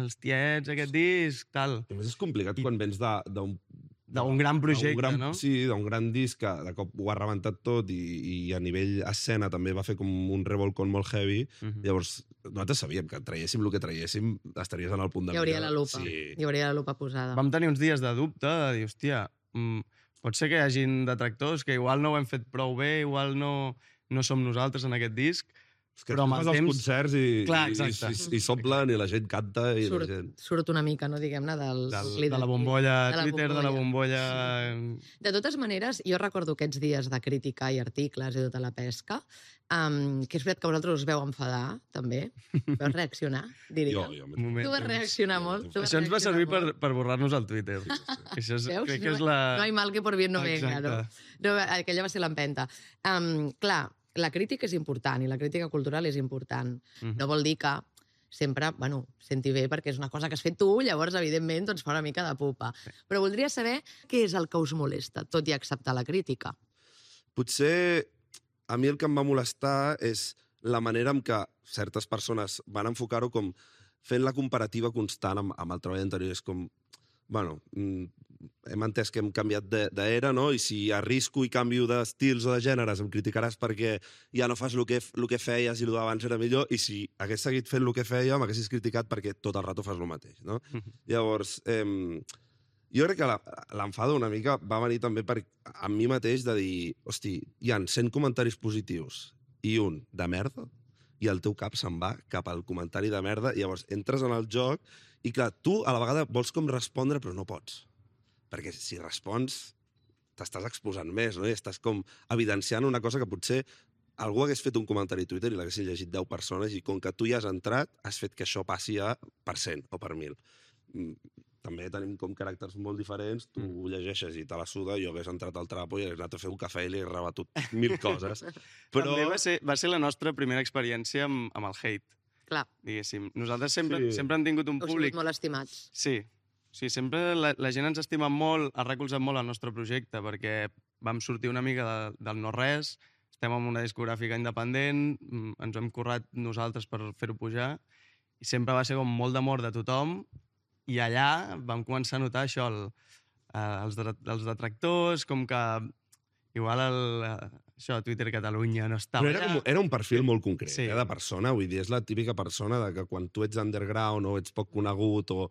els tiets, aquest disc, tal. A més, és complicat quan vens d'un gran projecte, no? Sí, d'un gran disc que de cop ho ha rebentat tot i a nivell escena també va fer com un revolcón molt heavy. Llavors, nosaltres sabíem que traiéssim el que traiéssim, estaries en el punt de Hi hauria la lupa. Sí. Hi hauria la lupa posada. Vam tenir uns dies de dubte, de dir, hòstia, pot ser que hi hagin detractors, que igual no ho hem fet prou bé, igual no som nosaltres en aquest disc, És que Però amb fas el els temps- concerts Clar, i exacte. s'omplen i la gent canta i la gent... Surt una mica, no, diguem-ne, De la bombolla Twitter, de la bombolla... De totes maneres, jo recordo aquests dies de crítica i articles i tota la pesca, que és veritat que vosaltres us veu enfadar, també. Veu reaccionar, diria. Jo, Un moment. Tu vas reaccionar molt. tu vas Això ens va reaccionar servir molt. per borrar-nos el Twitter. Això és, Veus? crec que és la... No hay mal que por bien no venga, no? Exacte. No, aquella va ser l'empenta. Clar, la crítica és important i la crítica cultural és important. No vol dir que sempre, bueno, senti bé perquè és una cosa que has fet tu, llavors, evidentment, doncs fa una mica de pupa. Però voldria saber què és el que us molesta, tot i acceptar la crítica. Potser a mi el que em va molestar és la manera en què certes persones van enfocar-ho com fent la comparativa constant amb el treball anterior. És com, bueno, hem entès que hem canviat d'era, no? I si arrisco i canvio d'estils o de gèneres em criticaràs perquè ja no fas el que feies i el d'abans era millor, i si hagués seguit fent el que feia m'haguessis criticat perquè tot el rato fas el mateix, no? Llavors, jo crec que l'enfado una mica va venir també a mi mateix de dir, hosti, hi ha 100 comentaris positius i un de merda, i el teu cap se'n va cap al comentari de merda, i llavors entres en el joc i, clar, tu a la vegada vols com respondre, però no pots. Perquè si respons, t'estàs exposant més, no? I estàs com evidenciant una cosa que potser algú hagués fet un comentari a Twitter i l'haguessin llegit 10 persones, i com que tu hi has entrat, has fet que això passi a per 100 o per 1.000. També tenim com caràcters molt diferents, tu ho llegeixes i te la suda, jo hagués entrat al trapo i hagués anat a fer un cafè i li hagués rebatut 1.000 coses. Però... També va ser la nostra primera experiència amb el hate, Clar, diguéssim. Nosaltres sempre Sí. hem tingut un heu públic... sigut molt estimats. Sí, sempre la gent ens estima molt, ha recolzat molt el nostre projecte, perquè vam sortir una mica del no-res, estem en una discogràfica independent, ens ho hem currat nosaltres per fer-ho pujar, i sempre va ser com molt d'amor de tothom, i allà vam començar a notar això, els detractors, com que igual això a Twitter Catalunya no estava Però allà. era un perfil molt concret, Sí. de persona, vull dir, és la típica persona de que quan tu ets underground o ets poc conegut o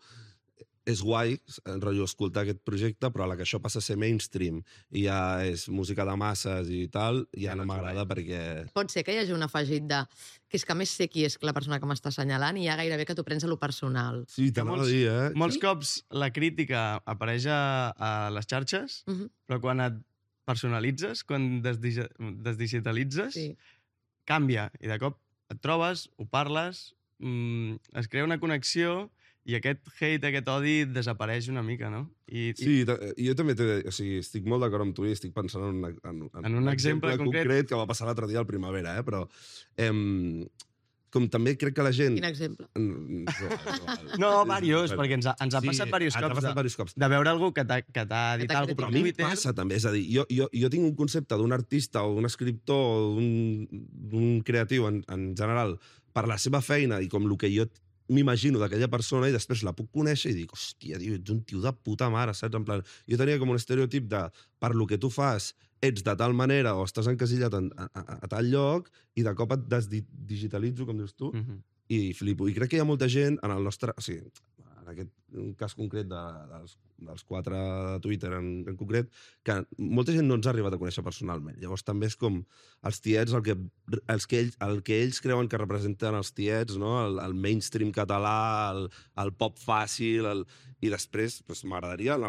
és guai, en rotllo, escoltar aquest projecte, però a la que això passa a ser mainstream i ja és música de masses i tal, ja no m'agrada perquè... Pot ser que hi hagi un afegit de que és que més sé qui és la persona que m'està assenyalant i ja gairebé que t'ho prens a lo personal. Sí, t'anava a dir, Molts cops la crítica apareix a les xarxes, però quan et personalitzes, quan desdigitalitzes, canvia. I de cop et trobes, ho parles, es crea una connexió i aquest hate, aquest odi desapareix una mica, no? Sí, jo també estic molt d'acord amb tu i estic pensant en un exemple concret que va passar l'altre dia al Primavera, però com també crec que la gent... Quin exemple? No, diversos, perquè ens ha passat diversos cops de veure algú que t'ha dit alguna cosa però per a mi Twitter. passa també, és a dir, jo tinc un concepte d'un artista o d'un escriptor o d'un creatiu en general per la seva feina i com el que jo m'imagino d'aquella persona, i després la puc conèixer i dic, hòstia, ets un tio de puta mare, saps? En plan, jo tenia com un estereotip de per lo que tu fas ets de tal manera o estàs encasillat a tal lloc i de cop et desdigitalitzo, com dius tu, i flipo. I crec que hi ha molta gent en el nostre... O sigui, en aquest cas concret dels 4 de Twitter en concret, que molta gent no ens ha arribat a conèixer personalment. Llavors també és com els tiets, el que ells creuen que representen els tiets, no? El mainstream català, el pop fàcil, i després m'agradaria en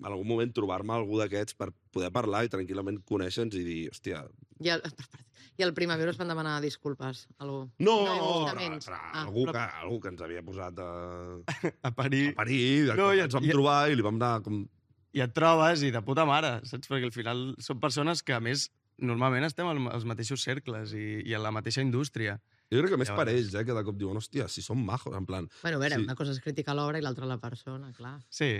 algun moment trobar-me algú d'aquests per poder parlar i tranquil·lament conèixer-nos i dir, hòstia... I al Primavera us van demanar disculpes? Algú? No, algú que ens havia posat a parir. Ens vam trobar i li vam anar com... I et trobes i de puta mare, saps? Perquè al final són persones que, a més, normalment estem als mateixos cercles i a la mateixa indústria. Jo crec que més per ells, que de cop diuen, hòstia, si són majos, en plan... Bueno, a veure, una cosa és criticar l'obra i l'altra la persona, clar. Sí.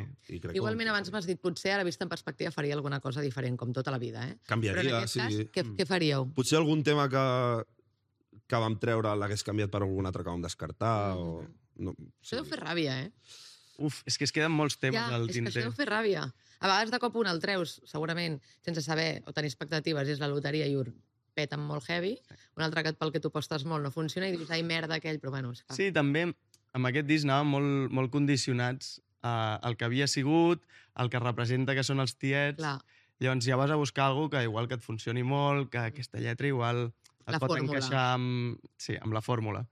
Igualment, abans m'has dit, potser ara vist en perspectiva faria alguna cosa diferent, com tota la vida, Canviaria, però en aquest cas, què faríeu? Potser algun tema que vam treure l'hagués canviat per algun altre que vam descartar, o... No, Això deu fer ràbia, Uf, és que es queden molts temes al tinter. És que tinter. això deu fer ràbia. A vegades de cop un el treus, segurament, sense saber o tenir expectatives, és la loteria i ho peten molt heavy, un altre que pel que tu apostes molt no funciona i dius, ai, merda, aquell, però bueno... És que... Sí, també amb aquest disc anàvem molt condicionats al que havia sigut, el que representa que són els tiets. Clar. Llavors ja vas a buscar alguna que igual que et funcioni molt, que aquesta lletra igual es pot encaixar amb la fórmula.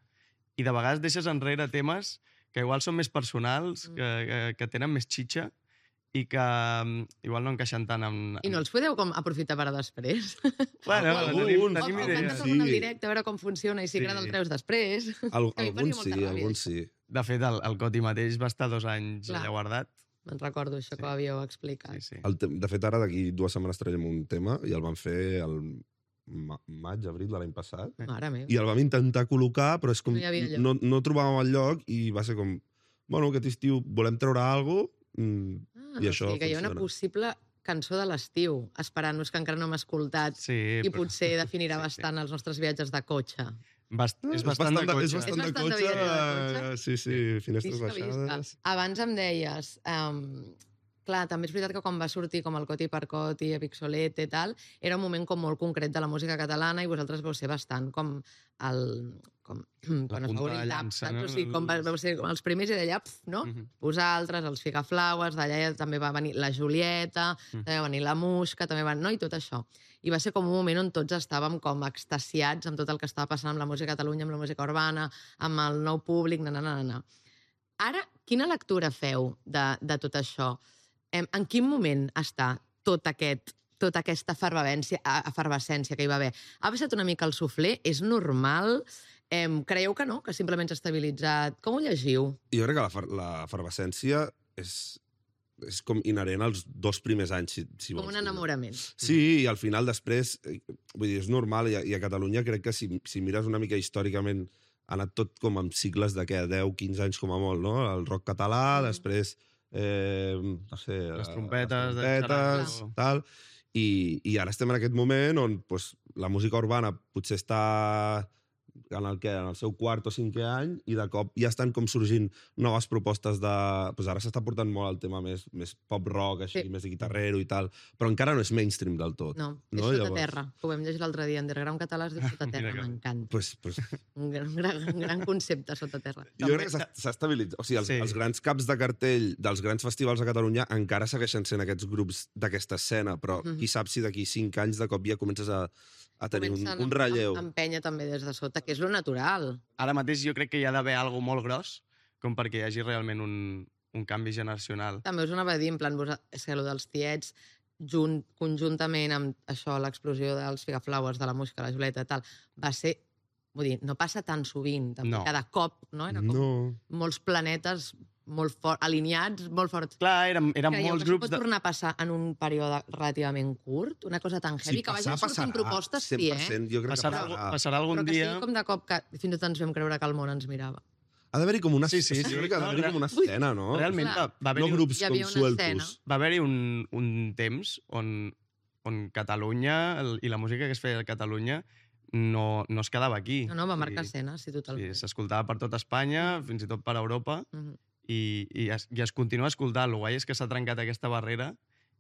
I de vegades deixes enrere temes que igual són més personals, que tenen més xitxa, i que igual no encaixen tant amb... I no els podeu com aprofitar per a després? Bueno, tenim O idees. cantes algun al directe, a veure com funciona, i si agrada el treus després. Alguns sí. De fet, el Coti mateix va estar 2 anys allà guardat. Me'n recordo això que havíeu explicat. Sí. De fet, ara d'aquí 2 setmanes traiem un tema i el vam fer el maig, abril de l'any passat. Mare meva. I el vam intentar col·locar, però és com... No hi havia lloc. No trobàvem el lloc i va ser com... Bueno, aquest estiu volem treure alguna cosa i això o sigui que hi ha una funciona. possible cançó de l'estiu, esperant-nos que encara no hem escoltat i potser definirà bastant els nostres viatges de cotxe. És bastant de cotxe. És bastant de cotxe. Sí, finestres baixades. Abans em deies... Clar, també és veritat que quan va sortir com el Coti per Coti, Epixolete i tal, era un moment com molt concret de la música catalana i vosaltres vau ser bastant com el... quan es va obrir el tap, saps? O sigui, com vau ser els primers i d'allà, no? Vosaltres, els Figaflaues, d'allà també va venir la Julieta, també va venir la Musca, també va... No? I tot això. I va ser com un moment on tots estàvem com extasiats amb tot el que estava passant amb la música a Catalunya, amb la música urbana, amb el nou públic, Ara, quina lectura feu de tot això? En quin moment està tota aquesta efervescència que hi va haver? Ha passat una mica el suflé? És normal? Creieu que no? Que simplement s'ha estabilitzat? Com ho llegiu? Jo crec que l'efervescència és com inherent als 2 primers anys, si vols. Com un enamorament. Sí, i al final després, vull dir, és normal, i a Catalunya crec que si mires una mica històricament ha anat tot com amb cicles de 10-15 anys com a molt, no? El rock català, després... no sé... Les trompetes, tal... I ara estem en aquest moment on la música urbana potser està en el seu 4 o 5è any i de cop ja estan com sorgint noves propostes de... Ara s'està portant molt el tema més pop-rock, així, més de guitarrero i tal, però encara no és mainstream del tot. No, és sota terra. Ho vam llegir l'altre dia. Underground català es diu sota terra, m'encanta. Un gran concepte, sota terra. Jo crec que s'ha estabilitzat. O sigui, els grans caps de cartell dels grans festivals a Catalunya encara segueixen sent aquests grups d'aquesta escena, però qui sap si d'aquí 5 anys de cop ja comences a tenir un relleu. Empenya també des de sota, que és lo natural. Ara mateix jo crec que hi ha d'haver alguna molt gros com perquè hi hagi realment un canvi generacional. També us anava a dir, en plan, és que allò dels tiets, conjuntament amb això, l'explosió dels Figaflaues, de la Musca, la Julieta i tal, va ser... Vull dir, no passa tan sovint, també cada cop, no? Era com molts planetes molt alineats, molt forts. Clar, eren molts grups... Pot tornar a passar en un període relativament curt? Una cosa tan heavy que vagin sortint propostes, sí, eh? Jo crec que passarà algun dia... Però que sigui com de cop que fins i tot ens vam creure que el món ens mirava. Ha d'haver-hi com una... Sí, jo crec que ha d'haver-hi com una escena, no? Realment, no grups com sueltos. Va haver-hi un temps on Catalunya i la música que es feia a Catalunya no es quedava aquí. No, va marcar escena, sí, totalment. Sí, s'escoltava per tot Espanya, fins i tot per Europa, i es continua escoltant. El guai és que s'ha trencat aquesta barrera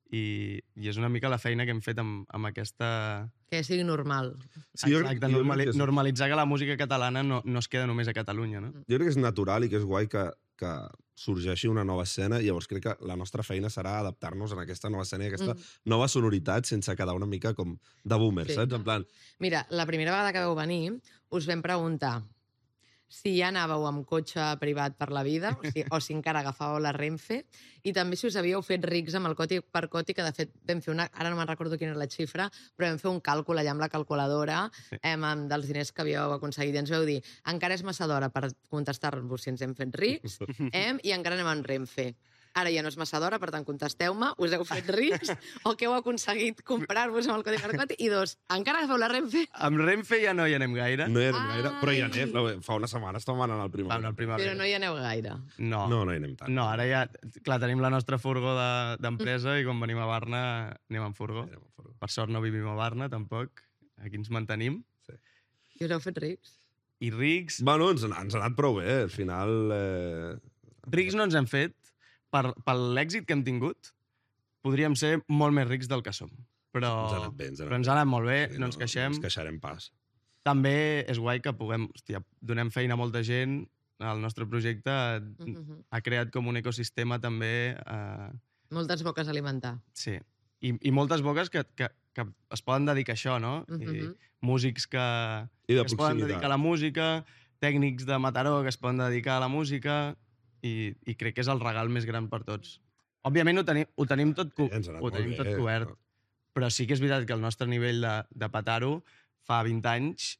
i és una mica la feina que hem fet amb aquesta... Que sigui normal. Sí, exacte, normalitzar que la música catalana no es queda només a Catalunya, no? Jo crec que és natural i que és guai que sorgeixi una nova escena, i llavors crec que la nostra feina serà adaptar-nos a aquesta nova escena i a aquesta nova sonoritat sense quedar una mica com de boomer, saps? En plan... Mira, la primera vegada que vau venir us vam preguntar si ja anàveu amb cotxe privat per la vida o si encara agafàveu la Renfe, i també si us havíeu fet rics amb el Coti per Coti, que de fet vam fer ara no me'n recordo quina era la xifra, però vam fer un càlcul allà amb la calculadora dels diners que havíeu aconseguit, i ens vau dir encara és massa d'hora per contestar-vos si ens hem fet rics i encara anem amb Renfe. Ara ja no és massa d'hora, per tant, contesteu-me, us heu fet rics o què heu aconseguit comprar-vos amb el Coti per Coti? I 2, encara agafeu la Renfe? Amb Renfe ja no hi anem gaire. No hi anem gaire, però hi anem. Fa una setmana estàvem anant al Primavera. Però no hi aneu gaire. No hi anem tant. No, ara ja... Clar, tenim la nostra furgó d'empresa i quan venim a Barna anem en furgó. Per sort no vivim a Barna, tampoc. Aquí ens mantenim. I us heu fet rics? I rics... Bueno, ens ha anat prou bé. Al final... Rics no ens hem fet. Per l'èxit que hem tingut, podríem ser molt més rics del que som. Però ens ha anat bé, però ens ha anat molt bé, no ens queixem. No ens queixarem pas. També és guai que puguem... Hòstia, donem feina a molta gent. El nostre projecte ha creat com un ecosistema també... Moltes boques a alimentar. Sí. I moltes boques que es poden dedicar a això, no? I músics que es poden dedicar a la música, tècnics de Mataró que es poden dedicar a la música, i crec que és el regal més gran per tots. Òbviament ho tenim tot cobert, però sí que és veritat que el nostre nivell de petar-ho fa 20 anys...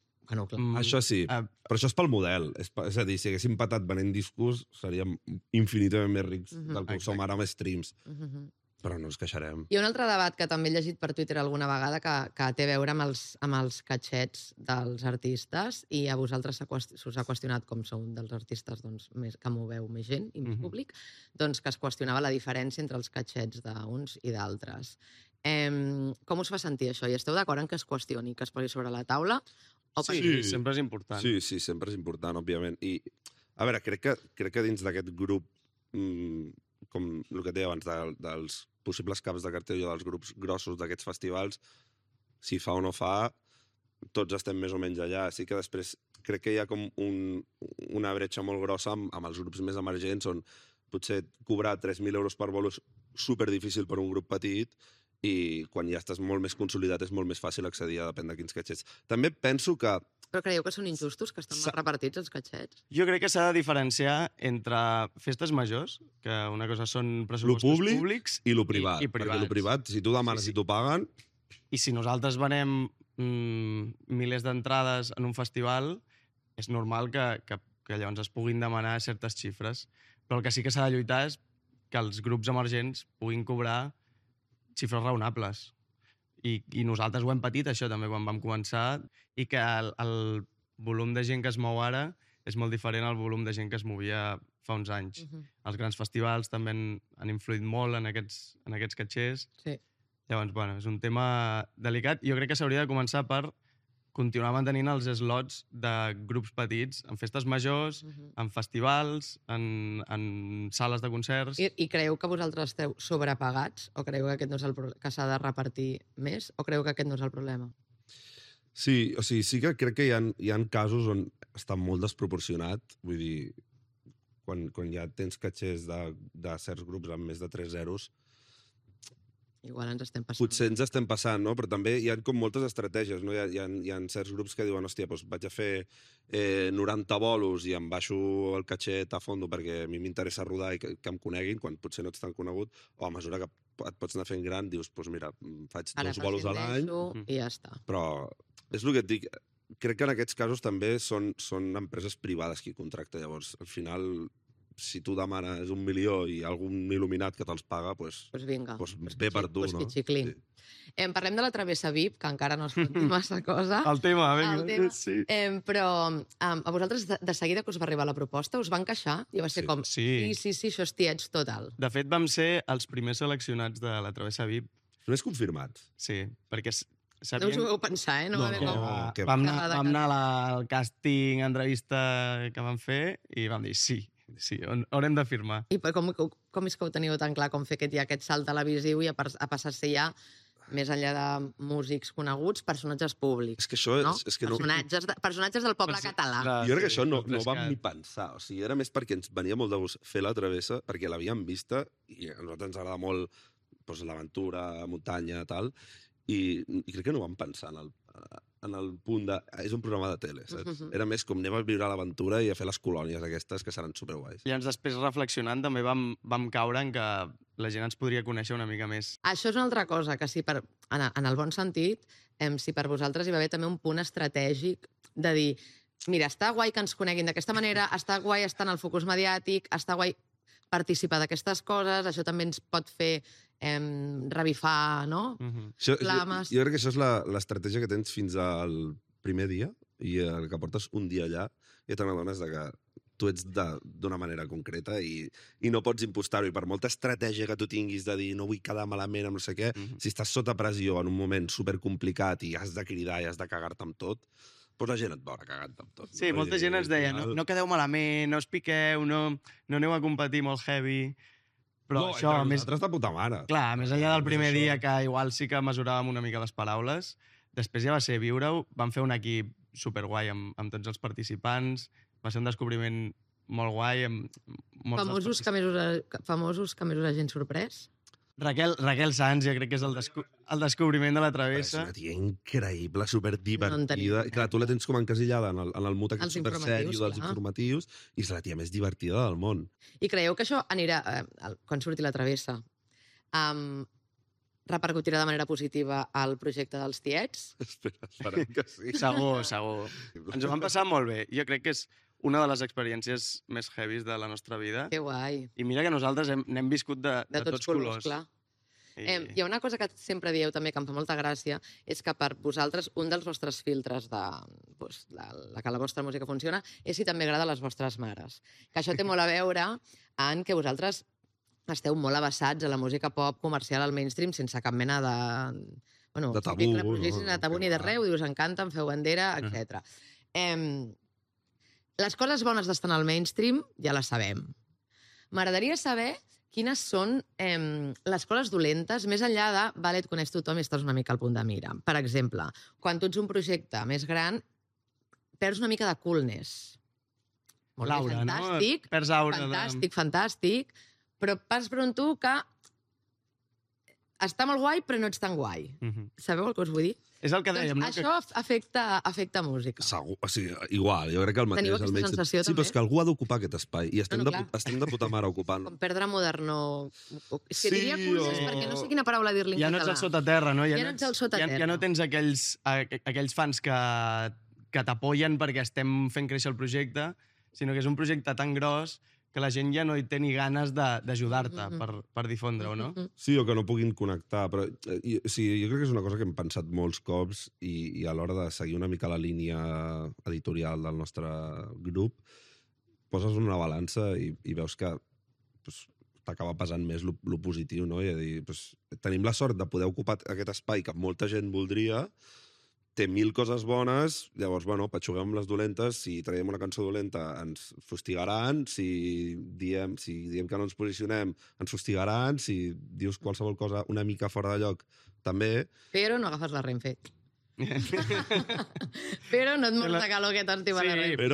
Això sí, però això és pel model. És a dir, si haguéssim patat venent discos, seríem infinitament més rics del que ho som ara amb streams. Però no ens queixarem. Hi ha un altre debat que també he llegit per Twitter alguna vegada que té a veure amb els catxets dels artistes, i a vosaltres s'us ha qüestionat, com sou un dels artistes que moveu més gent i més públic, doncs que es qüestionava la diferència entre els catxets d'uns i d'altres. Com us fa sentir això? I esteu d'acord en que es qüestioni, que es posi sobre la taula? Sí, sempre és important. Sí, sempre és important, òbviament. I, a veure, crec que dins d'aquest grup, com el que et deia abans, dels possibles caps de cartell o dels grups grossos d'aquests festivals, si fa o no fa, tots estem més o menys allà. Sí que després crec que hi ha com una bretxa molt grossa amb els grups més emergents, on potser cobrar 3.000 euros per bolo és superdifícil per un grup petit, i quan ja estàs molt més consolidat és molt més fàcil accedir a depèn de quins catxets. També penso que... Però creieu que són injustos, que estan mal repartits els catxets? Jo crec que s'ha de diferenciar entre festes majors, que una cosa són pressupostos públics, i lo privat. I privats. Perquè lo privat, si tu demanes i t'ho paguen... I si nosaltres venem milers d'entrades en un festival, és normal que llavors es puguin demanar certes xifres. Però el que sí que s'ha de lluitar és que els grups emergents puguin cobrar xifres raonables. I nosaltres ho hem patit, això, també, quan vam començar, i que el volum de gent que es mou ara és molt diferent al volum de gent que es movia fa uns anys. Els grans festivals també han influït molt en aquests catxers. Sí. Llavors, bueno, és un tema delicat. Jo crec que s'hauria de començar per continuar mantenint els slots de grups petits en festes majors, en festivals, en sales de concerts... I creieu que vosaltres esteu sobrepagats? O creieu que aquest no és que s'ha de repartir més? O creieu que aquest no és el problema? Sí, o sigui, sí que crec que hi ha casos on està molt desproporcionat. Vull dir, quan ja tens catxers de certs grups amb més de 3 zeros, igual ens estem passant. Potser ens estem passant, no? Però també hi ha com moltes estratègies, no? Hi ha certs grups que diuen, hòstia, doncs vaig a fer 90 bolos i em baixo el catxet a fondo perquè a mi m'interessa rodar i que em coneguin, quan potser no ets tan conegut, o a mesura que et pots anar fent gran, dius, doncs mira, faig 2 bolos a l'any... I ja està. Però és el que et dic, crec que en aquests casos també són empreses privades qui contracta, llavors, al final... si tu demanes 1 milió i algun il·luminat que te'ls paga, doncs vinga, ve per tu, no? Sí. Parlem de la travessa VIP, que encara no has fet massa cosa. El tema, vinga. Sí. Però a vosaltres de seguida que us va arribar la proposta, us van queixar? I va ser com, sí, això és tiets total. De fet, vam ser els primers seleccionats de la travessa VIP. Els primers confirmats? Sí, perquè... No us ho vau pensar, No vam anar al càsting, entrevista que vam fer, i vam dir sí, haurem de firmar. I com és que ho teniu tan clar, com fer aquest salt televisiu i a passar a ser ja, més enllà de músics coneguts, personatges públics? És que això és que personatges del poble català. Jo crec que això no vam ni pensar. O sigui, era més perquè ens venia molt de gust fer la travessa, perquè l'havíem vista, i a nosaltres ens agrada molt l'aventura, muntanya, tal, i crec que no vam pensar en el punt de... És un programa de tele, saps? Era més com anem a viure l'aventura i a fer les colònies aquestes, que seran superguais. I després, reflexionant, també vam caure en que la gent ens podria conèixer una mica més. Això és una altra cosa, que si en el bon sentit, si per vosaltres hi va haver també un punt estratègic de dir, mira, està guai que ens coneguin d'aquesta manera, està guai estar en el focus mediàtic, està guai participar d'aquestes coses, això també ens pot fer revifar, no? Flames. Jo crec que això és l'estratègia que tens fins al primer dia, i el que portes un dia allà, i te n'adones que tu ets d'una manera concreta i no pots impostar-ho. I per molta estratègia que tu tinguis de dir no vull quedar malament amb no sé què, si estàs sota pressió en un moment supercomplicat i has de cridar i has de cagar-te amb tot, doncs la gent et veurà cagant amb tot. Sí, molta gent ens deia, no quedeu malament, no us piqueu, no aneu a competir molt heavy... Però no, això, nosaltres de puta mare. Clar, més enllà del primer dia, que igual sí que mesuràvem una mica les paraules, després ja va ser viure-ho, vam fer un equip superguai amb tots els participants, va ser un descobriment molt guai. Famosos que més us hagin sorprès? Raquel Sanz, jo crec que és el descobriment de la Però és travessa. una tia increïble, superdivertida. No en tenia Clar, tu la tens com encasillada en el mut aquest Els supersèrio informatius, dels clar. informatius i és la tia més divertida del món. I creieu que això anirà, quan surti la travessa, repercutirà de manera positiva al projecte dels tiets? Esperem que sí. Segur. Ens ho vam passar molt bé. Jo crec que és una de les experiències més heavies de la nostra vida. Que guai. I mira que nosaltres n'hem viscut de tots colors. Clar. I... Hi ha una cosa que sempre dieu també que em fa molta gràcia, és que per vosaltres un dels vostres filtres de que la vostra música funciona és si també agrada a les vostres mares. Que això té molt a veure en que vosaltres esteu molt avessats a la música pop comercial al mainstream sense cap mena de... Bueno, De tabú, típic reprogisme, no? de tabú ni de res, us encanta, em feu bandera, etc. Les coses bones d'estar al mainstream ja les sabem. M'agradaria saber quines són les coses dolentes, més enllà de, vale, et coneix tothom i estàs una mica al punt de mira. Per exemple, quan tu ets un projecte més gran, perds una mica de coolness. Molt L'aura, bé, fantàstic, no? Perds aura. fantàstic, però pas per un tu que està molt guai, però no ets tan guai. Sabeu el que us vull dir? És el que dèiem, no? Això afecta música. Segur, o sigui, igual, jo crec que el mateix... Teniu aquesta sensació, sí, també? però és que algú ha d'ocupar aquest espai i estem, Clar. estem de puta mare ocupant. Com perdre moderno... És que Sí, diria coolness, perquè no sé quina paraula dir-li en Ja no ets català. al sotaterra, no? Ja no ets al sotaterra. Ja no tens aquells fans que t'apoyen perquè estem fent créixer el projecte, sinó que és un projecte tan gros que la gent ja no hi té ni ganes d'ajudar-te per difondre-ho, no? Sí, o que no puguin connectar, però sí, jo crec que és una cosa que hem pensat molts cops i a l'hora de seguir una mica la línia editorial del nostre grup, poses una balança i veus que t'acaba pesant més lo positiu, no? I a dir, tenim la sort de poder ocupar aquest espai que molta gent voldria, té 1000 coses bones, llavors, bueno, patxuguem amb les dolentes, si traiem una cançó dolenta ens fustigaran, si diem que no ens posicionem ens fustigaran, si dius qualsevol cosa una mica fora de lloc, també. Però no agafes la Renfe. Però no et mors de calor que t'estima la Renfe.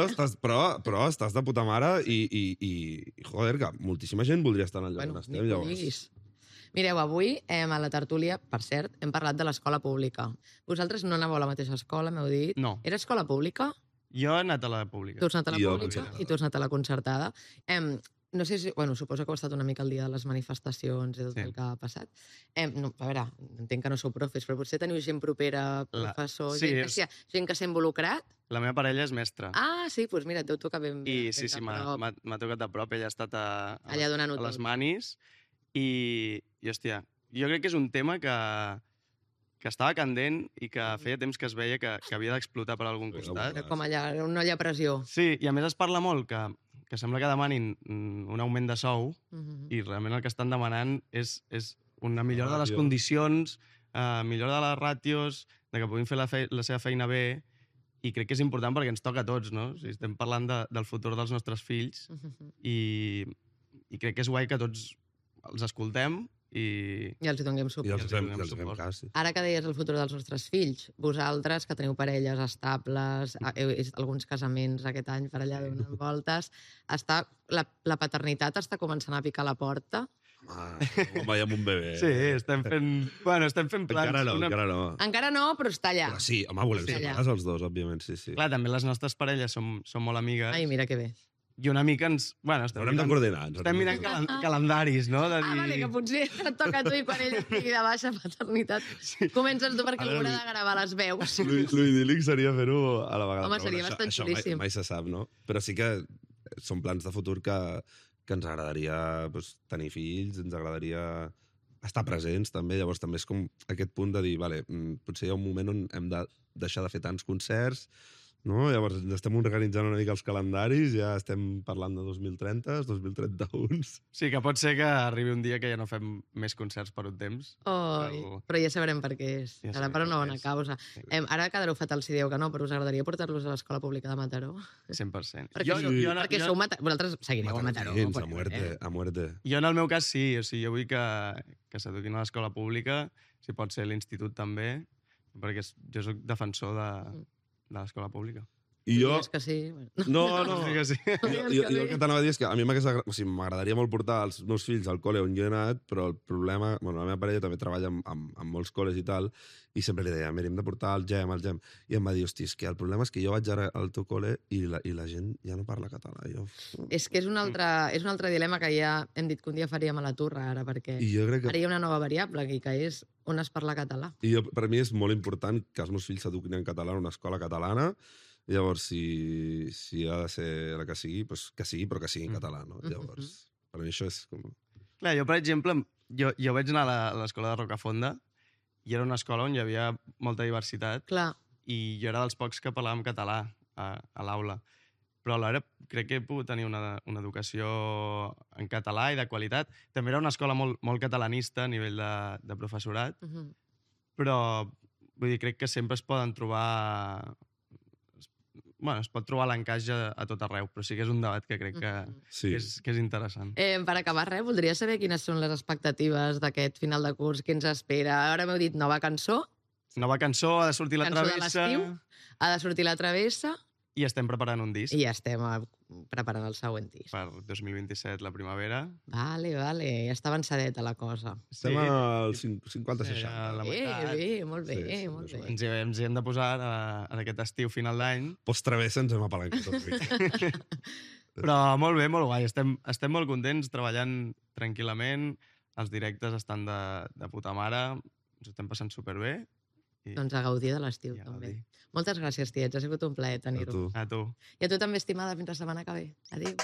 Però estàs de puta mare i joder, que moltíssima gent voldria estar en el lloc on estem, llavors. Mireu, avui a la tertúlia, per cert, hem parlat de l'escola pública. Vosaltres no anàveu a la mateixa escola, m'heu dit? No. Era escola pública? Jo he anat a la pública. Tu has anat a la Jo, pública concertada. i tu has anat a la concertada. No sé si... Bueno, suposo que heu estat una mica al dia de les manifestacions i tot el que ha passat. No, a veure, entenc que no sou profes, però potser teniu gent propera, professor, gent que s'ha involucrat? La meva parella és mestra. Ah, sí, doncs mira, et deu tocar ben I sí, m'ha tocat de prop. Ella ha estat allà donant-ho a les tot. manis i, hòstia, jo crec que és un tema que estava candent i que feia temps que es veia que havia d'explotar per algun costat. Era com allà, una olla a pressió. Sí, i a més es parla molt que sembla que demanin un augment de sou i realment el que estan demanant és una millora de les condicions, millora de les ràtios, de que puguin fer la seva feina bé, i crec que és important perquè ens toca a tots, no? O sigui, estem parlant del futur dels nostres fills i crec que és guai que tots els escoltem i els hi donem suport. I els fem cas. Sí. Ara que deies el futur dels nostres fills, vosaltres, que teniu parelles estables, heu vist alguns casaments aquest any per allà donant voltes, la paternitat està començant a picar a la porta? Home, ja amb un bebè. sí, estem fent plans. Encara no. Encara no, però està allà. Però sí, home, volem ser pares els dos, òbviament, sí. Clar, també les nostres parelles són molt amigues. Ai, mira que bé. I una mica ens... Bueno, Haurem de coordinar. Estem mirant calendaris, no? De dir... Vale, que potser et toca a tu i quan ell estigui de baixa paternitat comences tu perquè haurà de gravar les veus. L'idíl·lic seria fer-ho a la vegada. Home, seria bastant xulíssim. Això mai se sap, no? Però sí que són plans de futur que ens agradaria tenir fills, ens agradaria estar presents també, llavors també és com aquest punt de dir, vale, potser hi ha un moment on hem de deixar de fer tants concerts, no? Llavors ens estem organitzant una mica els calendaris, ja estem parlant de 2030, 2031... Sí, que pot ser que arribi un dia que ja no fem més concerts per un temps. Però ja sabrem per què és. Ja Serà per una bona causa. Ara quedareu fatal si dieu que no, però us agradaria portar-los a l'escola pública de Mataró? 100%. Perquè sou vosaltres seguireu a Mataró. A muerte. Jo en el meu cas sí, o sigui, jo vull que s'eduquin a l'escola pública, si pot ser l'institut també, perquè jo soc defensor de l'escola pública. I jo... És que sí. No. Sí que sí. Jo el que t'anava a dir és que a mi m'agradaria molt portar els meus fills al col·le on jo he anat, però el problema... Bueno, la meva parella també treballa amb molts col·les i tal, i sempre li deia, mira, hem de portar el gem. I em va dir, hosti, és que el problema és que jo vaig ara al teu col·le i la gent ja no parla català. És que és un altre dilema que ja hem dit que un dia faríem a la turra, ara, perquè ara hi ha una nova variable aquí, que és on es parla català. I per mi és molt important que els meus fills s'eduquin en català en una escola catalana. Llavors, si ha de ser la que sigui, doncs que sigui, però que sigui en català, no? Llavors, per mi això és com... Clar, jo, per exemple, jo vaig anar a l'escola de Rocafonda i era una escola on hi havia molta diversitat. Clar. I jo era dels pocs que parlàvem català a l'aula. Però alhora crec que he pogut tenir una educació en català i de qualitat. També era una escola molt catalanista a nivell de professorat, però vull dir, crec que sempre es poden trobar... Bueno, es pot trobar l'encaix a tot arreu, però sí que és un debat que crec que és interessant. Per acabar, voldria saber quines són les expectatives d'aquest final de curs, què ens espera. Ara m'heu dit nova cançó. Nova cançó, ha de sortir la travessa. Cançó de l'estiu, ha de sortir la travessa. I estem preparant un disc. I ja estem preparant el següent disc. Per 2027, la primavera. Vale, ja està avançadeta la cosa. Estem al 50-60. Bé, molt bé. Ens hi hem de posar en aquest estiu, final d'any. Post-travessa ens hem apalancat tot ric. Però molt bé, molt guai. Estem molt contents, treballant tranquil·lament. Els directes estan de puta mare. Ens estem passant superbé. Doncs a gaudir de l'estiu, també. Moltes gràcies, tiets. Ha sigut un plaer tenir-ho. A tu. I a tu també, estimada. Fins la setmana que ve. Adéu.